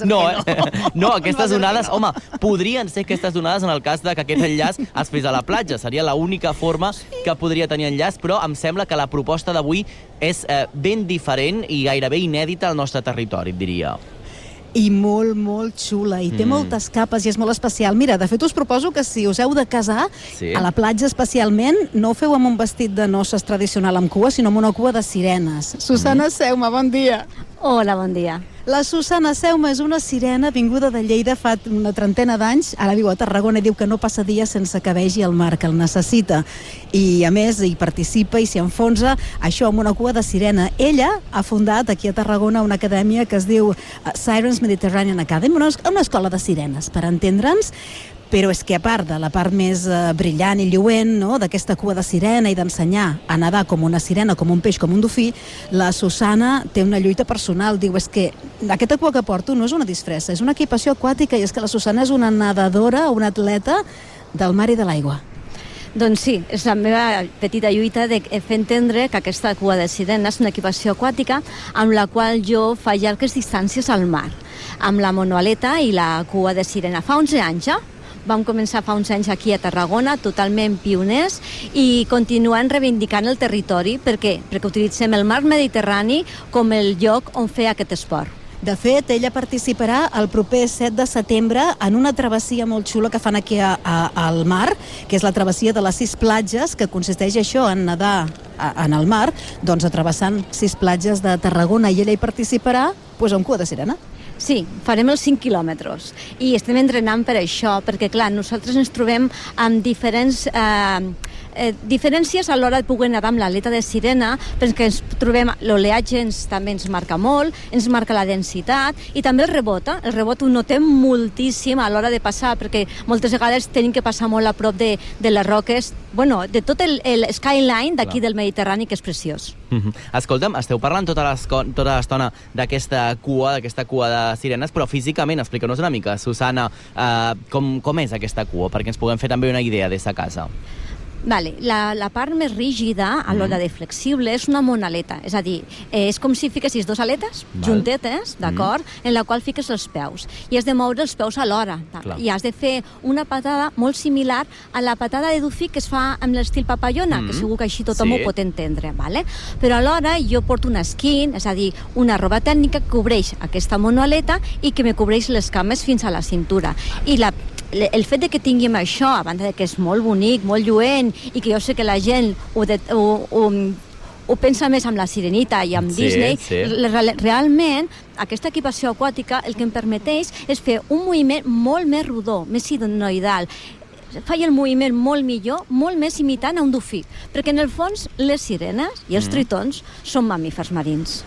No, aquestes onades, home, podrien ser aquestes onades en el cas de que aquest enllaç es fes a la platja. Seria l'única forma que podria tenir enllaç, però em sembla que la proposta d'avui és ben diferent i gairebé inèdita al nostre territori, et diria. I molt, molt xula, i té moltes capes i és molt especial. Mira, de fet us proposo que si us heu de casar, a la platja especialment, no ho feu amb un vestit de noces tradicional amb cua, sinó amb una cua de sirenes. Susana Seuma, bon dia. Hola, bon dia. La Susana Seuma és una sirena vinguda de Lleida fa una 30 d'anys, ara viu a Tarragona i diu que no passa dia sense que vegi el mar, que el necessita. I a més hi participa i s'hi enfonsa, això amb una cua de sirena. Ella ha fundat aquí a Tarragona una acadèmia que es diu Sirens Mediterranean Academy, una escola de sirenes, per entendre'ns. Però és que a part de la part més brillant i lluent, no?, d'aquesta cua de sirena i d'ensenyar a nedar com una sirena, com un peix, com un dofí, la Susana té una lluita personal. Diu, és que aquesta cua que porto no és una disfressa, és una equipació aquàtica i és que la Susana és una nedadora, una atleta del mar i de l'aigua. Doncs sí, és la meva petita lluita de fer entendre que aquesta cua de sirena és una equipació aquàtica amb la qual jo faig llargues distàncies al mar, amb la monoaleta i la cua de sirena. Fa 11 anys ja. Vam començar fa uns anys aquí a Tarragona, totalment pioners, i continuem reivindicant el territori. Per què? Perquè utilitzem el mar Mediterrani com el lloc on fer aquest esport. De fet, ella participarà el proper 7 de setembre en una travessia molt xula que fan aquí al mar, que és la travessia de les 6 platges, que consisteix això, en nedar en el mar, doncs travessant 6 platges de Tarragona, i ella hi participarà amb cua de sirena. Sí, farem els 5 quilòmetres i estem entrenant per això, perquè clar, nosaltres ens trobem amb diferents diferències a l'hora de poder nedar amb l'aleta de sirena, perquè ens trobem, l'oleatge també ens marca molt, ens marca la densitat i també el rebot ho notem moltíssim a l'hora de passar, perquè moltes vegades tenim que passar molt a prop de les roques, de tot el skyline d'aquí del Mediterrani, que és preciós. Escolta'm, esteu parlant tota l'estona d'aquesta cua de sirenes, però físicament, explica'ns una mica, Susana, com és aquesta cua, perquè ens puguem fer també una idea des de casa. Vale. La part més rígida, a l'hora de flexible, és una monaleta. És a dir, és com si fiquessis 2 aletes juntetes, d'acord, en la qual fiques els peus. I has de moure els peus alhora. I has de fer una patada molt similar a la patada de dofí que es fa amb l'estil papallona, que segur que així tothom ho pot entendre. Vale? Però alhora jo porto un skin, és a dir, una roba tècnica que cobreix aquesta monoleta i que me cobreix les cames fins a la cintura. I el fet de que tinguem això, a banda de que és molt bonic, molt lluent, i que jo sé que la gent ho pensa més amb la Sirenita i amb Disney, realment aquesta equipació aquàtica el que em permeteix és fer un moviment molt més rodó, més sinusoidal. Faig el moviment molt millor, molt més imitant a un dofí, perquè en el fons les sirenes i els tritons són mamífers marins.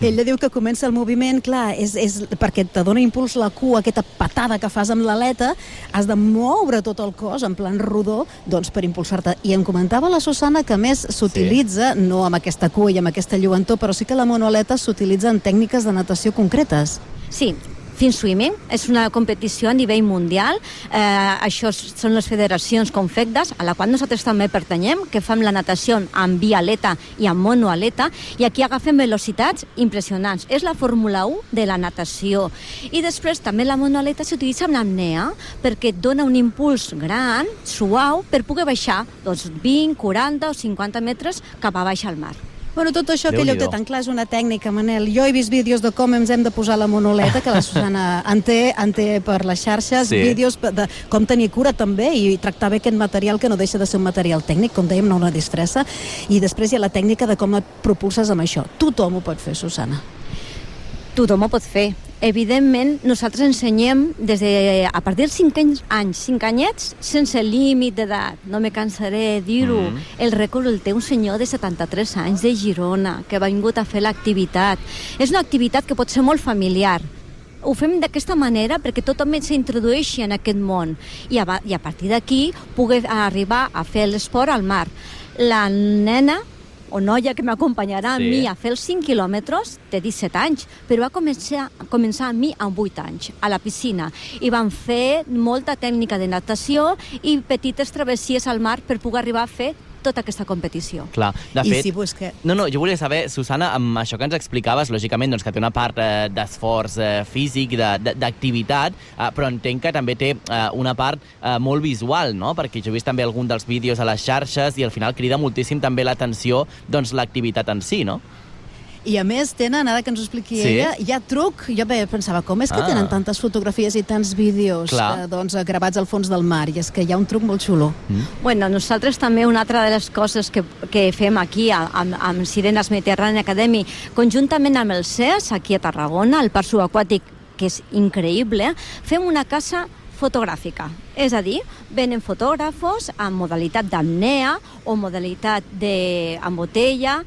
Ella diu que comença el moviment, clar, és perquè te dona impuls la cua, aquesta patada que fas amb l'aleta, has de moure tot el cos en plan rodó, doncs per impulsar-te. I em comentava la Susana que més s'utilitza, no amb aquesta cua i amb aquesta lluentor, però sí que la monoaleta s'utilitza en tècniques de natació concretes. Sí, Fin Swimming és una competició a nivell mundial. Això són les federacions confectes, a la qual nosaltres també pertanyem, que fem la natació amb bialeta i amb monoaleta, i aquí agafem velocitats impressionants. És la Fórmula 1 de la natació. I després també la monoaleta s'utilitza amb l'apnea, perquè et dona un impuls gran, suau, per poder baixar 20, 40 o 50 metres cap a baix al mar. Bueno, tot això que ella ho té tan clar és una tècnica, Manel. Jo he vist vídeos de com ens hem de posar la monoleta, que la Susana en té per les xarxes, vídeos de com tenir cura també i tractar bé aquest material que no deixa de ser un material tècnic, com dèiem, no una distressa. I després hi ha la tècnica de com et propulses amb això. Tothom ho pot fer, Susana. Tothom ho pot fer. Evidentment, nosaltres ensenyem a partir dels 5 anys, 5 anyets, sense límit d'edat. No me cansaré de dir-ho. El rècord el té un senyor de 73 anys de Girona, que ha vingut a fer l'activitat. És una activitat que pot ser molt familiar. Ho fem d'aquesta manera perquè tothom s'introdueixi en aquest món i a partir d'aquí pugui arribar a fer l'esport al mar. La nena o noia que m'acompanyarà a mi a fer els 5 quilòmetres té 17 anys, però va començar amb mi amb 8 anys, a la piscina. I vam fer molta tècnica de natació i petites travessies al mar per poder arribar a fer tota aquesta competició. Clar, de fet... No, jo volia saber, Susana, amb això que ens explicaves, lògicament, doncs, que té una part d'esforç físic, d'activitat, però entenc que també té una part molt visual, no? Perquè jo he vist també algun dels vídeos a les xarxes i al final crida moltíssim també l'atenció doncs, l'activitat en si, no? I a més tenen, ara que ens ho expliqui ella, hi ha truc. Jo pensava, com és que tenen tantes fotografies i tants vídeos gravats al fons del mar? I és que hi ha un truc molt xulo. Bueno, nosaltres també una altra de les coses que fem aquí amb Sirenes Mediterrani Academy, conjuntament amb el CES, aquí a Tarragona, el parc subaquàtic, que és increïble, fem una casa fotogràfica. És a dir, venen fotògrafos amb modalitat d'apnea o modalitat amb botella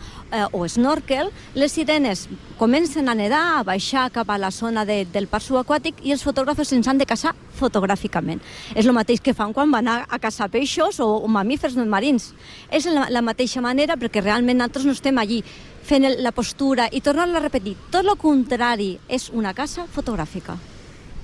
o snorkel. Les sirenes comencen a nedar, a baixar cap a la zona del parc subaquàtic i els fotògrafos ens han de caçar fotogràficament. És el mateix que fan quan van a caçar peixos o mamífers marins. És la mateixa manera perquè realment nosaltres no estem allí fent la postura i tornar-la a repetir. Tot el contrari, és una caça fotogràfica.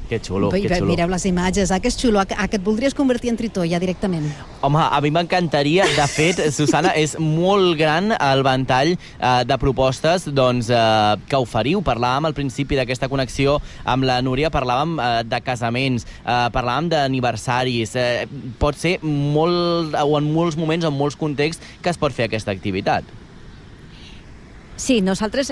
Que xulo, que xulo. Mireu les imatges, que és xulo, que et voldries convertir en tritó ja directament. Home, a mi m'encantaria. De fet, Susana, és molt gran el ventall de propostes que oferiu. Parlàvem al principi d'aquesta connexió amb la Núria, parlàvem de casaments, parlàvem d'aniversaris. Pot ser molt, o en molts moments, en molts contexts, que es pot fer aquesta activitat. Sí, nosaltres...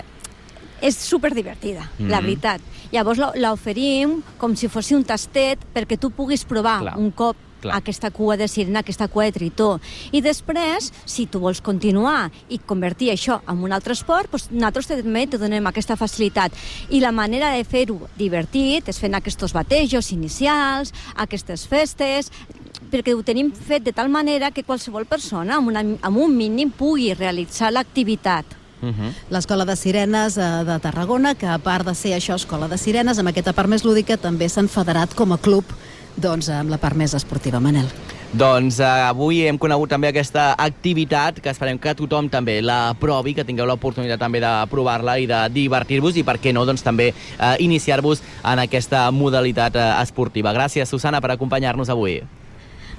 És superdivertida, la veritat. Llavors l'oferim com si fos un tastet perquè tu puguis provar un cop aquesta cua de sirena, aquesta cua de tritó. I després, si tu vols continuar i convertir això en un altre esport, doncs nosaltres també te donem aquesta facilitat. I la manera de fer-ho divertit és fent aquests batejos inicials, aquestes festes, perquè ho tenim fet de tal manera que qualsevol persona amb un mínim pugui realitzar l'activitat. L'Escola de Sirenes de Tarragona, que a part de ser això, Escola de Sirenes, amb aquesta part més lúdica, també s'han federat com a club amb la part més esportiva, Manel. Doncs avui hem conegut també aquesta activitat que esperem que tothom també la provi, que tingueu l'oportunitat també de provar-la i de divertir-vos i, per què no, doncs també iniciar-vos en aquesta modalitat esportiva. Gràcies, Susana, per acompanyar-nos avui.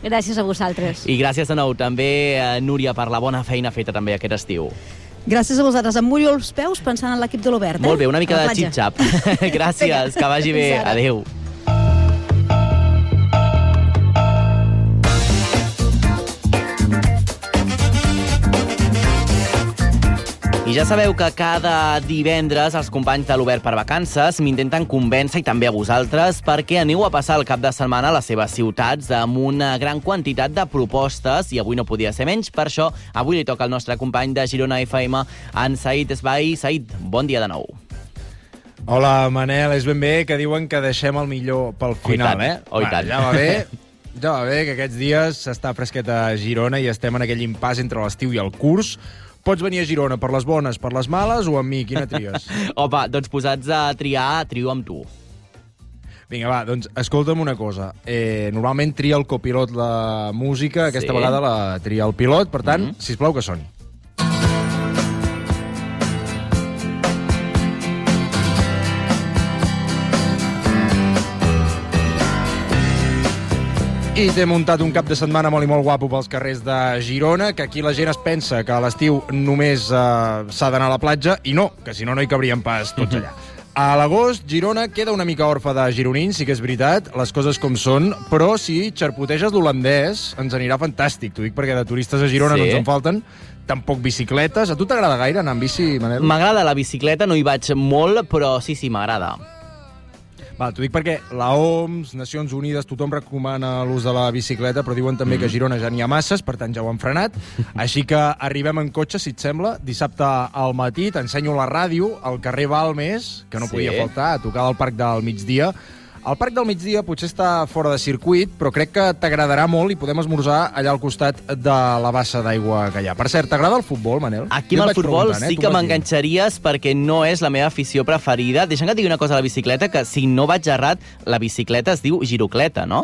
Gràcies a vosaltres. I gràcies de nou també, Núria, per la bona feina feta també aquest estiu. Gràcies a vosaltres. Em mullo els peus pensant en l'equip de l'Obert. Molt bé, una mica de xip-xap. Gràcies, que vagi bé. Adéu. I ja sabeu que cada divendres els companys de l'Obert per Vacances m'intenten convèncer, i també a vosaltres, perquè aneu a passar el cap de setmana a les seves ciutats amb una gran quantitat de propostes, i avui no podia ser menys. Per això, avui li toca al nostre company de Girona FM, en Said Esbai. Said, bon dia de nou. Hola, Manel, és ben bé que diuen que deixem el millor pel final, Oh, i tant. Ja va bé que aquests dies s'està fresquet a Girona i estem en aquell impàs entre l'estiu i el curs. Pots venir a Girona per les bones, per les males o amb mi? Quina tries? Opa, doncs posats a triar, trio amb tu. Vinga, va, doncs escolta'm una cosa. Normalment tria el copilot la música, aquesta vegada la tria el pilot, per tant, sisplau que soni. I t'he muntat un cap de setmana molt i molt guapo pels carrers de Girona, que aquí la gent es pensa que a l'estiu només s'ha d'anar a la platja, i no, que si no, no hi cabríem pas tots allà. A l'agost, Girona queda una mica orfa de gironins, sí que és veritat, les coses com són, però si xarpoteges l'holandès ens anirà fantàstic. T'ho dic perquè de turistes a Girona no ens en falten, tampoc bicicletes. A tu t'agrada gaire anar amb bici, Manel? M'agrada la bicicleta, no hi vaig molt, però sí, m'agrada. Va, t'ho dic perquè la OMS, Nacions Unides, tothom recomana l'ús de la bicicleta, però diuen també que a Girona ja n'hi ha masses, per tant ja ho han frenat. Així que arribem en cotxe, si et sembla, dissabte al matí, t'ensenyo la ràdio, al carrer Balmes, que no podia faltar, a tocar al Parc del Migdia. El Parc del Migdia potser està fora de circuit, però crec que t'agradarà molt i podem esmorzar allà al costat de la bassa d'aigua que hi ha. Per cert, t'agrada el futbol, Manel? Aquí amb el futbol sí que m'enganxaries perquè no és la meva afició preferida. Deixa'm que et digui una cosa a la bicicleta, que si no vaig errat, la bicicleta es diu girocleta, no?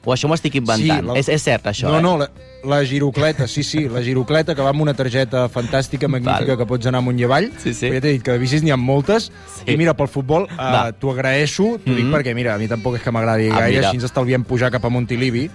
O això m'ho estic inventant? Sí, és cert, això, No, la girocleta, sí, la girocleta, que va amb una targeta fantàstica, magnífica, que pots anar amunt i avall. Ja t'he dit que de bicis n'hi ha moltes. I mira, pel futbol t'ho agraeixo, t'ho dic perquè, mira, a mi tampoc és que m'agradi gaire, així ens estalviem pujar cap a Montilivi,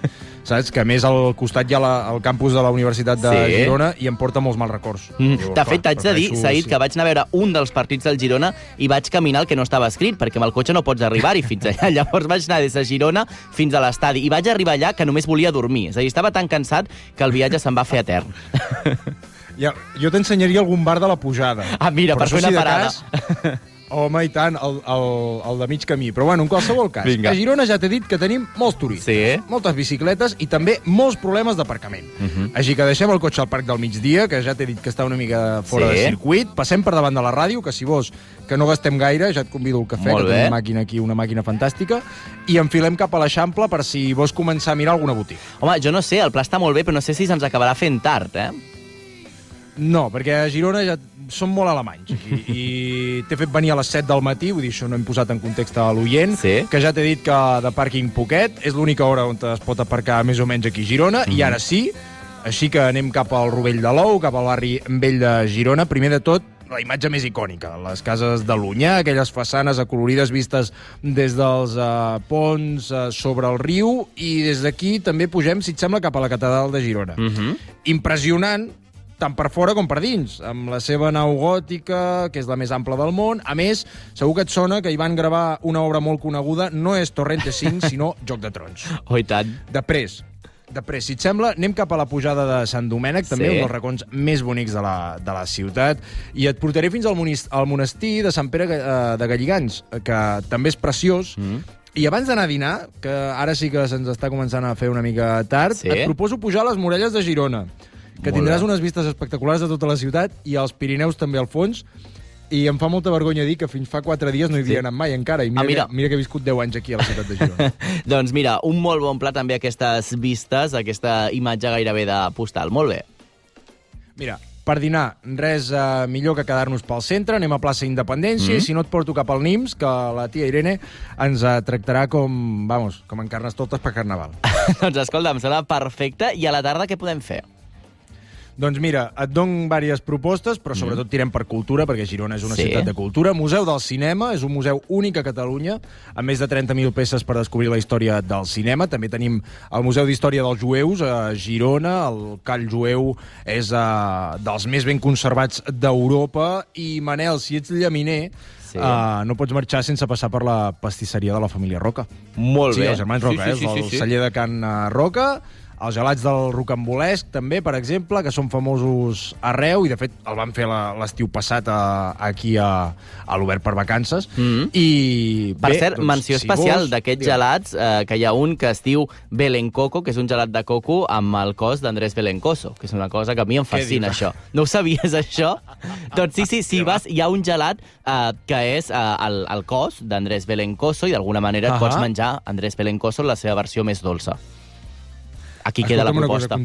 saps? Que a més al costat hi ha el campus de la Universitat de Girona i em porta molts mals records. De fet, t'haig de dir, Said, que vaig anar a veure un dels partits del Girona i vaig caminar el que no estava escrit, perquè amb el cotxe no pots arribar-hi fins allà. Llavors vaig anar des de Girona fins a l'estadi i vaig arribar allà que només volia dormir. És a dir, estava tan cansat que el viatge se'n va fer etern. Jo t'ensenyaria algun bar de la pujada. Ah, mira, per fer una parada. Home, i tant, el de mig camí. Però bueno, en qualsevol cas, a Girona ja t'he dit que tenim molts turistes, moltes bicicletes i també molts problemes d'aparcament. Així que deixem el cotxe al Parc del Migdia, que ja t'he dit que està una mica fora de circuit, passem per davant de la ràdio, que si vols que no gastem gaire, ja et convido al cafè, que tenim una màquina aquí, una màquina fantàstica, i enfilem cap a l'Eixample per si vols començar a mirar alguna botiga. Home, jo no sé, el pla està molt bé, però no sé si se'ns acabarà fent tard, No, perquè a Girona ja són molt alemanys aquí, i t'he fet venir a les 7 del matí, vull dir, això no hem posat en context a l'oient, que ja t'he dit que de pàrquing poquet, és l'única hora on es pot aparcar més o menys aquí a Girona, i ara sí, així que anem cap al Rovell de l'Ou, cap al barri vell de Girona. Primer de tot, la imatge més icònica, les cases de l'Onyar, aquelles façanes acolorides vistes des dels ponts sobre el riu, i des d'aquí també pugem, si et sembla, cap a la catedral de Girona. Impressionant, tant per fora com per dins, amb la seva nau gòtica, que és la més ampla del món. A més, segur que et sona que hi van gravar una obra molt coneguda, no és Torrente 5, sinó Joc de Trons. Oh, i tant. Després, si et sembla, anem cap a la pujada de Sant Domènec, també un dels racons més bonics de la ciutat, i et portaré fins al monestir de Sant Pere de Galligants, que també és preciós. I abans d'anar a dinar, que ara sí que se'ns està començant a fer una mica tard, et proposo pujar a les muralles de Girona, que tindràs unes vistes espectaculars de tota la ciutat i els Pirineus també al fons. I em fa molta vergonya dir que fins fa 4 dies no hi havia anat mai encara. I mira que he viscut 10 anys aquí a la ciutat de Girona. Doncs mira, un molt bon pla també aquestes vistes, aquesta imatge gairebé de postal. Molt bé. Mira, per dinar, res millor que quedar-nos pel centre. Anem a plaça Independència i si no et porto cap al Nims, que la tia Irene ens tractarà com en Carnestoltes per Carnaval. Doncs escolta, em sembla perfecte. I a la tarda què podem fer? Doncs mira, et dono diverses propostes, però sobretot tirem per cultura, perquè Girona és una ciutat de cultura. Museu del Cinema, és un museu únic a Catalunya, amb més de 30.000 peces per descobrir la història del cinema. També tenim el Museu d'Història dels Jueus a Girona. El call jueu és dels més ben conservats d'Europa. I, Manel, si ets llaminer, no pots marxar sense passar per la pastisseria de la família Roca. Molt bé. Sí, els germans Roca, el celler de Can Roca. Els gelats del rocambolesc, també, per exemple, que són famosos arreu, i de fet el van fer l'estiu passat aquí a l'Obert per Vacances. Per cert, menció especial d'aquests gelats, que hi ha un que es diu Belencoco, que és un gelat de coco amb el cos d'Andrés Belencoso, que és una cosa que a mi em fascina, això. No ho sabies, això? Doncs sí, si vas, hi ha un gelat que és el cos d'Andrés Belencoso, i d'alguna manera et pots menjar Andrés Belencoso en la seva versió més dolça. Aquí queda la proposta.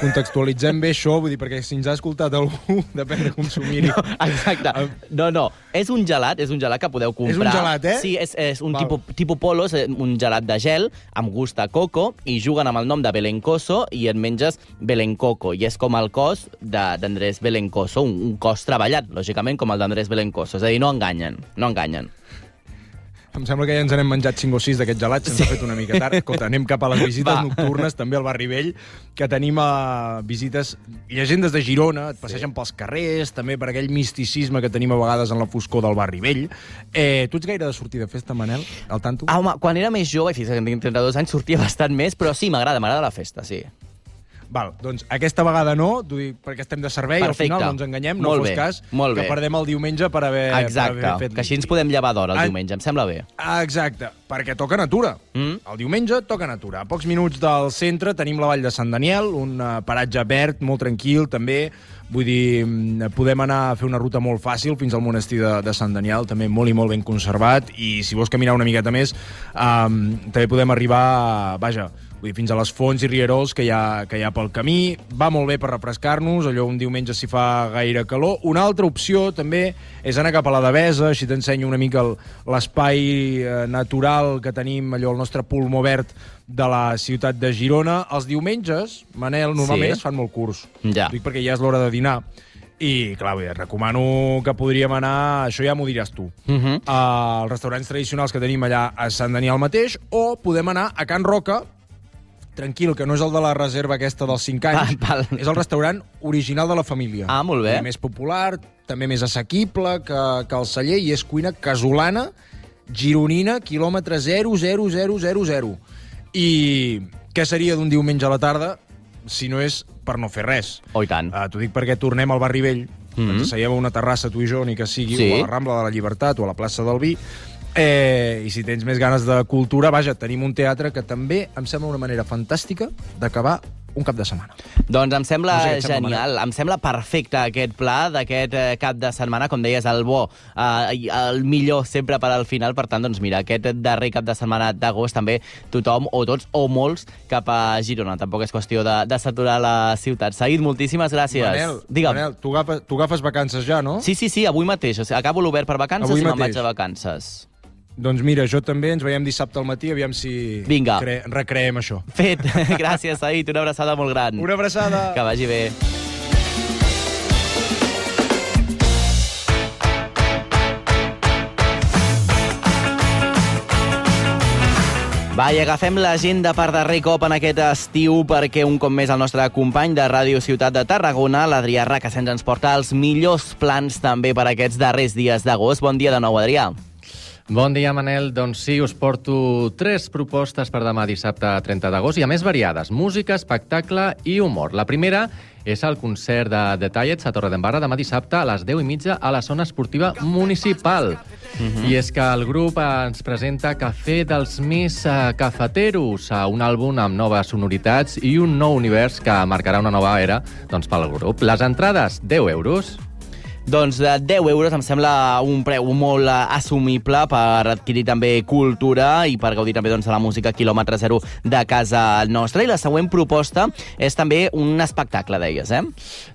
Contextualitzem bé això, vull dir, perquè si ens ha escoltat algú, depèn de consumir-hi. No, exacte. No, és un gelat que podeu comprar. És un gelat, Sí, és un tipus polo, és un gelat de gel, amb gust a coco, i juguen amb el nom de Belencoso, i et menges Belencoco, i és com el cos d'Andrés Belencoso, un cos treballat, lògicament, com el d'Andrés Belencoso. És a dir, no enganyen. Em sembla que ja ens n'hem menjat 5 o 6 d'aquests gelats, se'ns ha fet una mica tard. Escolta, anem cap a les visites nocturnes, també al Barri Vell, que tenim visites, llegendes de Girona, et passegen pels carrers, també per aquell misticisme que tenim a vegades en la foscor del Barri Vell. Tu ets gaire de sortir de festa, Manel, al tanto? Home, quan era més jove, fins que tinc 32 anys, sortia bastant més, però sí, m'agrada la festa, sí. Val, doncs aquesta vegada no, perquè estem de servei, al final no ens enganyem, no fos cas, que perdem el diumenge per haver fet... Que així ens podem llevar d'hora el diumenge, em sembla bé. Exacte, perquè toca natura. El diumenge toca natura. A pocs minuts del centre tenim la Vall de Sant Daniel, un paratge verd, molt tranquil, també. Vull dir, podem anar a fer una ruta molt fàcil fins al monestir de Sant Daniel, també molt i molt ben conservat, i si vols caminar una miqueta més, també podem arribar, fins a les fonts i rierols que hi ha pel camí. Va molt bé per refrescar-nos, allò un diumenge si fa gaire calor. Una altra opció també és anar cap a la Devesa, així t'ensenyo una mica l'espai natural que tenim, allò el nostre pulmó verd de la ciutat de Girona. Els diumenges, Manel, normalment es fan molt curts. Dic perquè ja és l'hora de dinar. I, clar, et recomano que podríem anar, això ja m'ho diràs tu, als restaurants tradicionals que tenim allà a Sant Daniel mateix, o podem anar a Can Roca, tranquil, que no és el de la reserva aquesta dels 5 anys, és el restaurant original de la família. Molt bé. Més popular, també més assequible que el celler, i és cuina casolana, gironina, quilòmetre 0,0000. I què seria d'un diumenge a la tarda si no és per no fer res? Oh, i tant. T'ho dic perquè tornem al Barri Vell, ens asseiem a una terrassa, tu i jo, ni que sigui, o a la Rambla de la Llibertat, o a la plaça del Vi, i si tens més ganes de cultura, tenim un teatre que també em sembla una manera fantàstica d'acabar un cap de setmana. Doncs em sembla genial, em sembla perfecte aquest pla d'aquest cap de setmana, com deies, el bo, el millor sempre per al final. Per tant, doncs mira, aquest darrer cap de setmana d'agost també tothom, o tots, o molts, cap a Girona. Tampoc és qüestió de saturar la ciutat. Saïd, moltíssimes gràcies. Manel, tu agafes vacances ja, no? Sí, avui mateix. Acabo l'Obert per Vacances i me'n vaig a vacances. Doncs mira, jo també, ens veiem dissabte al matí, aviam si recreem això. Fet. Gràcies, Saïd, una abraçada molt gran. Una abraçada. Que vagi bé. Va, i agafem l'agenda per darrer cop en aquest estiu perquè un cop més el nostre company de Ràdio Ciutat de Tarragona, l'Adrià Racassens, ens porta els millors plans també per aquests darrers dies d'agost. Bon dia de nou, Adrià. Bon dia, Manel. Doncs sí, us porto 3 propostes per demà dissabte 30 d'agost i a més variades, música, espectacle i humor. La primera és el concert de The Tallets a Torredembarra demà dissabte a les 10:30 a la zona esportiva municipal. I és que el grup ens presenta Cafè dels més cafeteros, un àlbum amb noves sonoritats i un nou univers que marcarà una nova era pel grup. Les entrades, 10 euros. Doncs de 10 euros em sembla un preu molt assumible per adquirir també cultura i per gaudir també de la música quilòmetre zero de casa nostra. I la següent proposta és també un espectacle, deies, eh?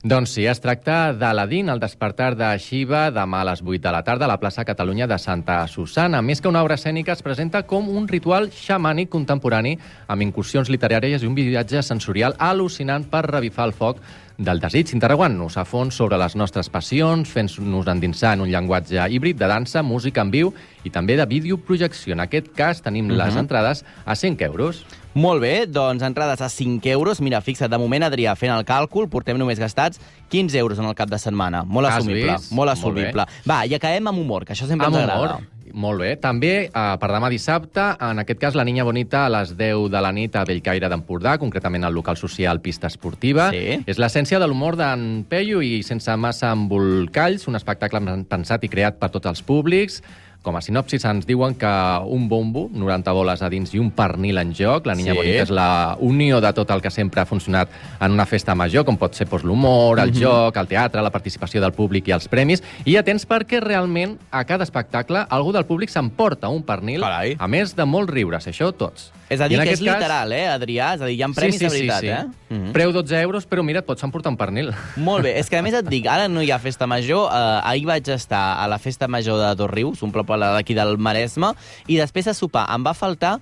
Doncs sí, es tracta d'Aladín, el despertar de Shiva, demà a les 8 de la tarda a la plaça Catalunya de Santa Susana. Més que una obra escènica, es presenta com un ritual xamànic contemporani amb incursions literàries i un viatge sensorial al·lucinant per revifar el foc del desig, interrogant-nos a fons sobre les nostres passions, fent-nos endinsar en un llenguatge híbrid de dansa, música en viu i també de videoprojecció. En aquest cas tenim les entrades a 5 euros. Molt bé, doncs entrades a 5 euros. Mira, fixa't, de moment, Adrià, fent el càlcul, portem només gastats 15 euros en el cap de setmana. Molt assumible. Molt assumible. Va, i acabem amb humor, que això sempre ens agrada. Molt bé. També, per demà dissabte, en aquest cas, La Niña Bonita a les 10 de la nit a Bellcaire d'Empordà, concretament al local social Pista Esportiva. Sí. És l'essència de l'humor d'en Peyu i sense massa embolcalls, un espectacle pensat i creat per tots els públics. Com a sinopsis ens diuen que un bombo, 90 boles a dins i un pernil en joc. La Niña Bonita és la unió de tot el que sempre ha funcionat en una festa major, com pot ser l'humor, el joc, el teatre, la participació del públic i els premis. I atents perquè realment a cada espectacle algú del públic s'emporta un pernil, a més de molts riures, això tots. És a dir, que és literal, Adrià? És a dir, hi ha premis de veritat, sí. Preu 12 euros, però mira, et pots emportar un pernil. Molt bé. És que a més et dic, ara no hi ha festa major. Ahir vaig estar a la festa major de Dosrius, un poble d'aquí del Maresme, i després de sopar em va faltar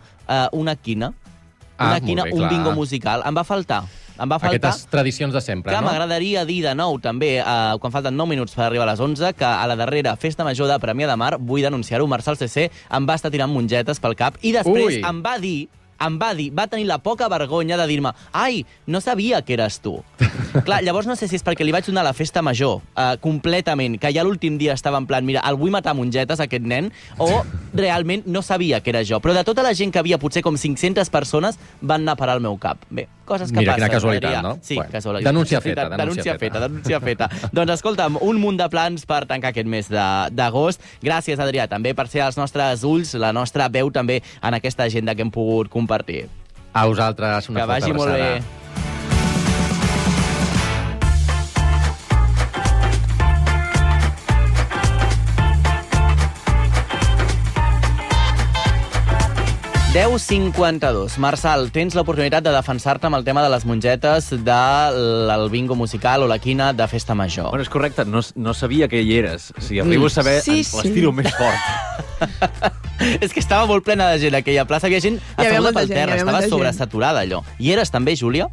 una quina. Una quina, un bingo musical. Em va faltar. Aquestes tradicions de sempre, no? no? M'agradaria dir de nou, també, quan falten 9 minuts per arribar a les 11, que a la darrera festa major de Premià de Mar, vull denunciar-ho, Marçal CC em va estar tirant mongetes pel cap i després va tenir la poca vergonya de dir-me ai, no sabia que eres tu. Clar, llavors no sé si és perquè li vaig donar la festa major completament, que ja l'últim dia estava en plan, mira, el vull matar a mongetes, aquest nen, o realment no sabia que era jo. Però de tota la gent que havia, potser com 500 persones, van anar a parar al meu cap. Bé, coses que passen. Mira, quina casualitat, no? Sí, casualitat. Denúncia feta. Doncs escolta'm, un munt de plans per tancar aquest mes d'agost. Gràcies, Adrià, també per ser els nostres ulls, la nostra veu també en aquesta agenda que hem pogut compartir. A vosaltres, una forta abraçada. Que vagi molt bé. (10:52). Marçal, tens l'oportunitat de defensar-te amb el tema de les mongetes del bingo musical o la quina de festa major. Bueno, és correcte, no sabia que hi eres. Si arribo a saber, les tiro més fort. És que estava molt plena de gent, aquella plaça. Havia gent asseguda pel terra, estava sobresaturada, allò. I eres també, Júlia?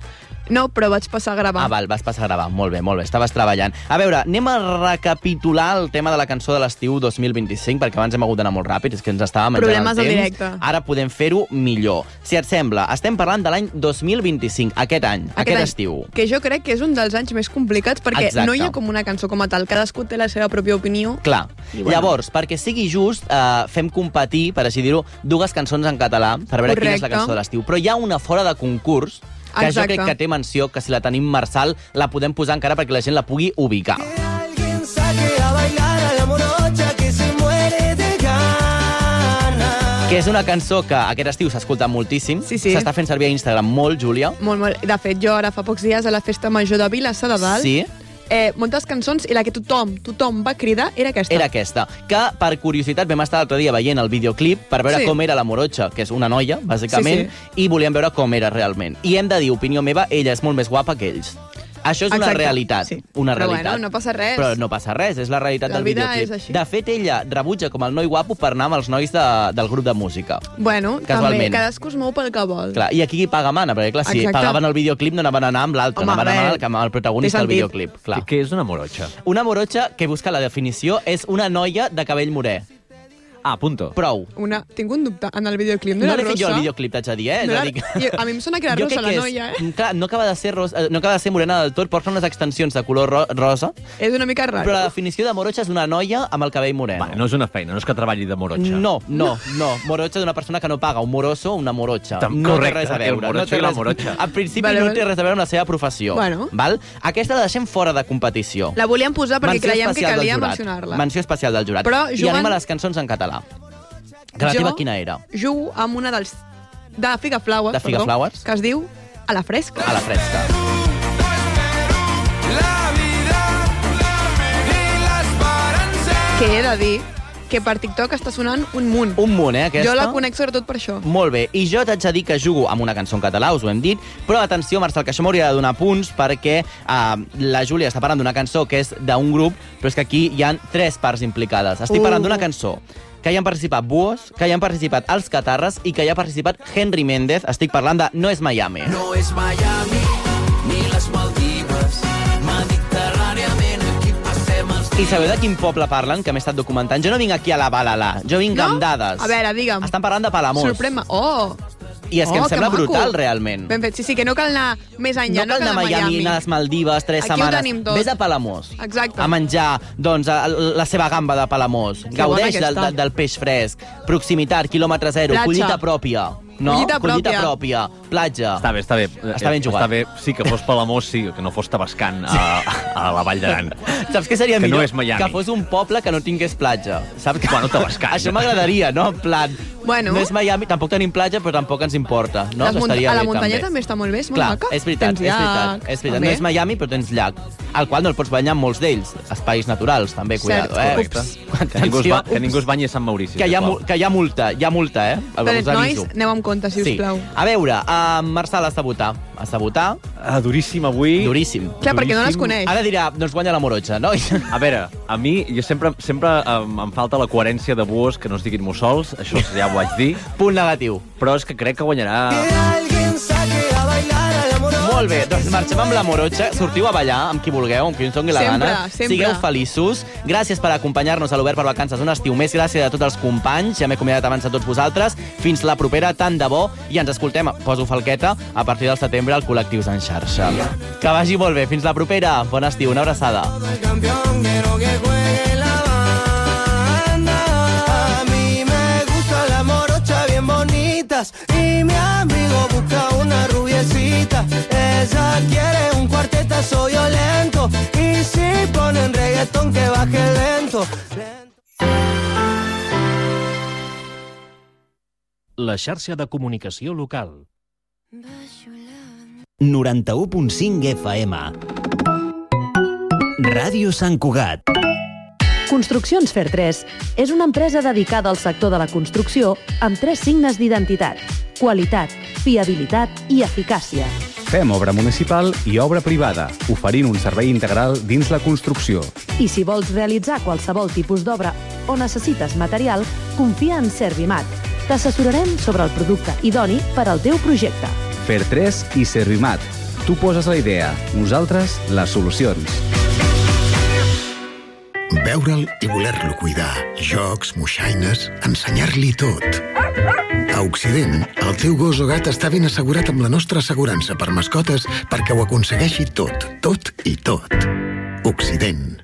No, però vaig passar a gravar. Val, vas passar a gravar. Molt bé, estaves treballant. A veure, anem a recapitular el tema de la cançó de l'estiu 2025, perquè abans hem hagut d'anar molt ràpid, és que ens estava menjant Problemes el temps. directe. Ara podem fer-ho millor. Si et sembla, estem parlant de l'any 2025, aquest estiu. Que jo crec que és un dels anys més complicats, perquè no hi ha com una cançó com a tal. Cadascú té la seva pròpia opinió. Clar. Llavors, perquè sigui just, fem competir, per així dir-ho, dues cançons en català, per veure quina és la cançó de l'estiu. Però hi ha una fora de concurs, que jo crec que té menció, que si la tenim, Marçal, la podem posar encara perquè la gent la pugui ubicar. Que és una cançó que aquest estiu s'ha escoltat moltíssim. S'està fent servir a Instagram molt, Júlia. Molt. De fet, jo ara fa pocs dies a la festa major de Vilassar de Dalt moltes cançons i la que tothom va cridar era aquesta. Era aquesta, que per curiositat vam estar l'altre dia veient el videoclip per veure com era la Morocha, que és una noia, bàsicament, i volíem veure com era realment. I hem de dir, opinió meva, ella és molt més guapa que ells. Això és una realitat. Una realitat. Però bueno, no passa res. Però no passa res, és la realitat del videoclip. De fet, ella rebutja com el noi guapo per anar amb els nois del grup de música. Bueno, també, cadascú es mou pel que vol. Clar, i aquí qui paga mana, perquè clar, si pagaven el videoclip no anaven a anar amb l'altre, anaven a anar amb el protagonista del videoclip. Què és una Morocha? Una Morocha, que busca la definició, és una noia de cabell morè. punto. Prou. Tinc un dubte. En el videoclip no l'he fet jo el videoclip, t'haig de dir, A mi em sona que era rosa la noia, Clar, no acaba de ser morena del tot, porta unes extensions de color rosa. És una mica raro. Però la definició de morocha és una noia amb el cabell moreno. Vale, no és una feina, no és que treballi de morocha. No. Morocha d'una persona que no paga, un moroso o una morocha. No té res a veure. El morocho i la morocha. En principi no té res a veure amb la seva professió. Val? Aquesta la deixem fora de competició. La volíem posar perquè creiem que calia mencionar-la. Menció especial del jurat. I anem a les cançons en català. Que la teva quina era? Jugo amb una de Figa Flowers, que es diu A la fresca. A la fresca. Que he de dir que per TikTok està sonant un munt. Un munt, aquesta? Jo la conec sobretot per això. Molt bé. I jo t'haig de dir que jugo amb una cançó en català, us ho hem dit, però atenció, Marcel, que això m'hauria de donar punts perquè la Júlia està parlant d'una cançó que és d'un grup, però és que aquí hi ha 3 parts implicades. Estic parlant d'una cançó que hi han participat Buos, que hi han participat Els Catarres i que hi ha participat Henry Méndez. Estic parlant de No és Miami. No és Miami, ni les Maldives, mediterràniament aquí passem els dies. I sabeu de quin poble parlen, que m'he estat documentant? Jo no vinc aquí a la balala, jo vinc amb dades. A veure, digue'm. Estan parlant de Palamós. Sorprèn-me. I és que em sembla brutal, realment. Ben fet, sí, que no cal anar més enllà, no cal anar a Miami, anar a les Maldives, 3 setmanes. Aquí ho tenim tot. Vés a Palamós. Exacte. A menjar, doncs, la seva gamba de Palamós. Gaudeix del peix fresc. Proximitat, quilòmetre zero, collita pròpia. No? Collita pròpia. Platja. Està bé. Està ben jugat. Està bé, sí, que fos Palamós, sí, que no fos Tavascan a la Vall d'Aran. Saps què seria millor? Que no és Miami. Que fos un poble que no tingués platja. Saps? Bueno, Tavascan. Això m'agradaria, no? En plan, bueno. No és Miami, tampoc tenim platja, però tampoc ens importa. No? A la muntanya també està molt bé, és molt maca. És veritat. No és Miami, però tens llac, al qual no el pots banyar en molts d'ells. Espais naturals, també, cuidado. Que ningú es banyi a Sant Maurici. Que hi ha multa, Però, nois, aneu amb compte, si us plau. A veure, Marçal, has de votar. Duríssim avui. Duríssim. Clar, perquè no les coneix. Ara dirà, doncs guanya la morocha, no? A veure, a mi, jo sempre em falta la coherència de Buos, que no es diguin mussols, això ja ho vaig dir. Punt negatiu. Però és que crec que guanyarà... Molt bé, doncs marxem amb la morocha. Sortiu a ballar amb qui vulgueu, amb qui us doni la gana. Sempre. Sigueu feliços. Gràcies per acompanyar-nos a l'Obert per Vacances un estiu més. Gràcies a tots els companys. Ja m'he acomiadat abans a tots vosaltres. Fins la propera, tant de bo. I ens escoltem, poso falqueta, a partir del setembre al Col·lectius en xarxa. Que vagi molt bé. Fins la propera. Bon estiu. Una abraçada. Y mi amigo busca una rubiecita. Ella quiere un cuartetazo violento. Y si ponen reggaetón que baje lento. La xarxa de comunicació local. 91.5 FM. Ràdio Sant Cugat. Construccions Fer3 és una empresa dedicada al sector de la construcció amb 3 signes d'identitat: qualitat, fiabilitat i eficàcia. Fem obra municipal i obra privada, oferint un servei integral dins la construcció. I si vols realitzar qualsevol tipus d'obra o necessites material, confia en Servimat. T'assessorarem sobre el producte idoni per al teu projecte. Fer3 i Servimat. Tu poses la idea, nosaltres les solucions. Veure'l i voler-lo cuidar. Jocs, moixaines, ensenyar-li tot. A Occident, el teu gos o gat està ben assegurat amb la nostra assegurança per mascotes perquè ho aconsegueixi tot, tot i tot. Occident.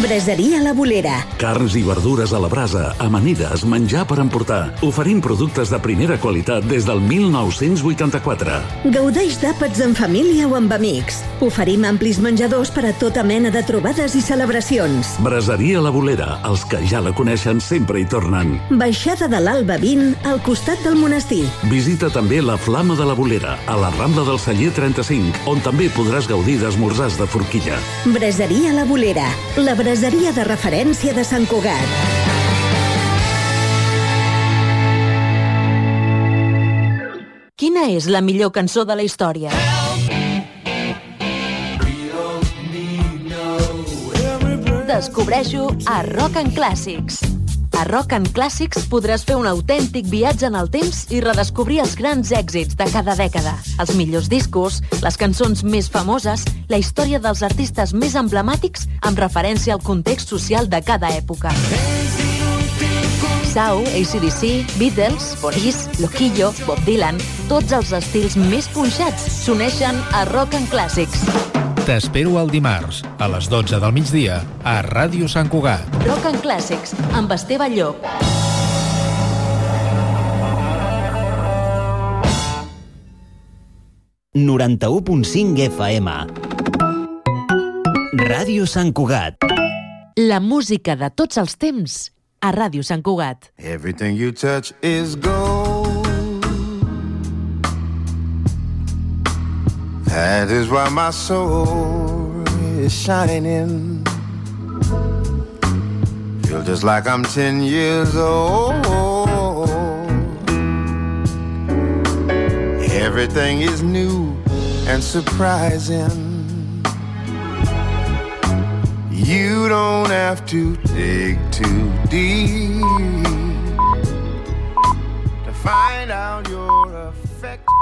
Braseria La Bolera. Carns i verdures a la brasa, amanides, menjar per emportar. Oferim productes de primera qualitat des del 1984. Gaudeix d'àpats en família o amb amics. Oferim amplis menjadors per a tota mena de trobades i celebracions. Braseria La Bolera. Els que ja la coneixen sempre hi tornen. Baixada de l'Alba 20, al costat del monestir. Visita també la Flama de la Bolera, a la Rambla del Celler 35, on també podràs gaudir d'esmorzars de forquilla. Braseria La Bolera. La braseria de referència de Sant Cugat. Quina és la millor cançó de la història? Descobreixo a Rock and Classics. A Rock and Classics podràs fer un autèntic viatge en el temps i redescobrir els grans èxits de cada dècada, els millors discos, les cançons més famoses, la història dels artistes més emblemàtics amb referència al context social de cada època. Sau, AC/DC, Beatles, Boris, Loquillo, Bob Dylan... Tots els estils més punxats s'uneixen a Rock and Classics. T'espero el dimarts, a les 12 del migdia, a Ràdio Sant Cugat. Rock and Classics, amb Esteve Llop. ...91.5 FM. Ràdio Sant Cugat. La música de tots els temps a Ràdio Sant Cugat. Everything you touch is gold. That is why my soul is shining. Feel just like I'm 10 years old. Everything is new and surprising. You don't have to dig too deep to find out your affection.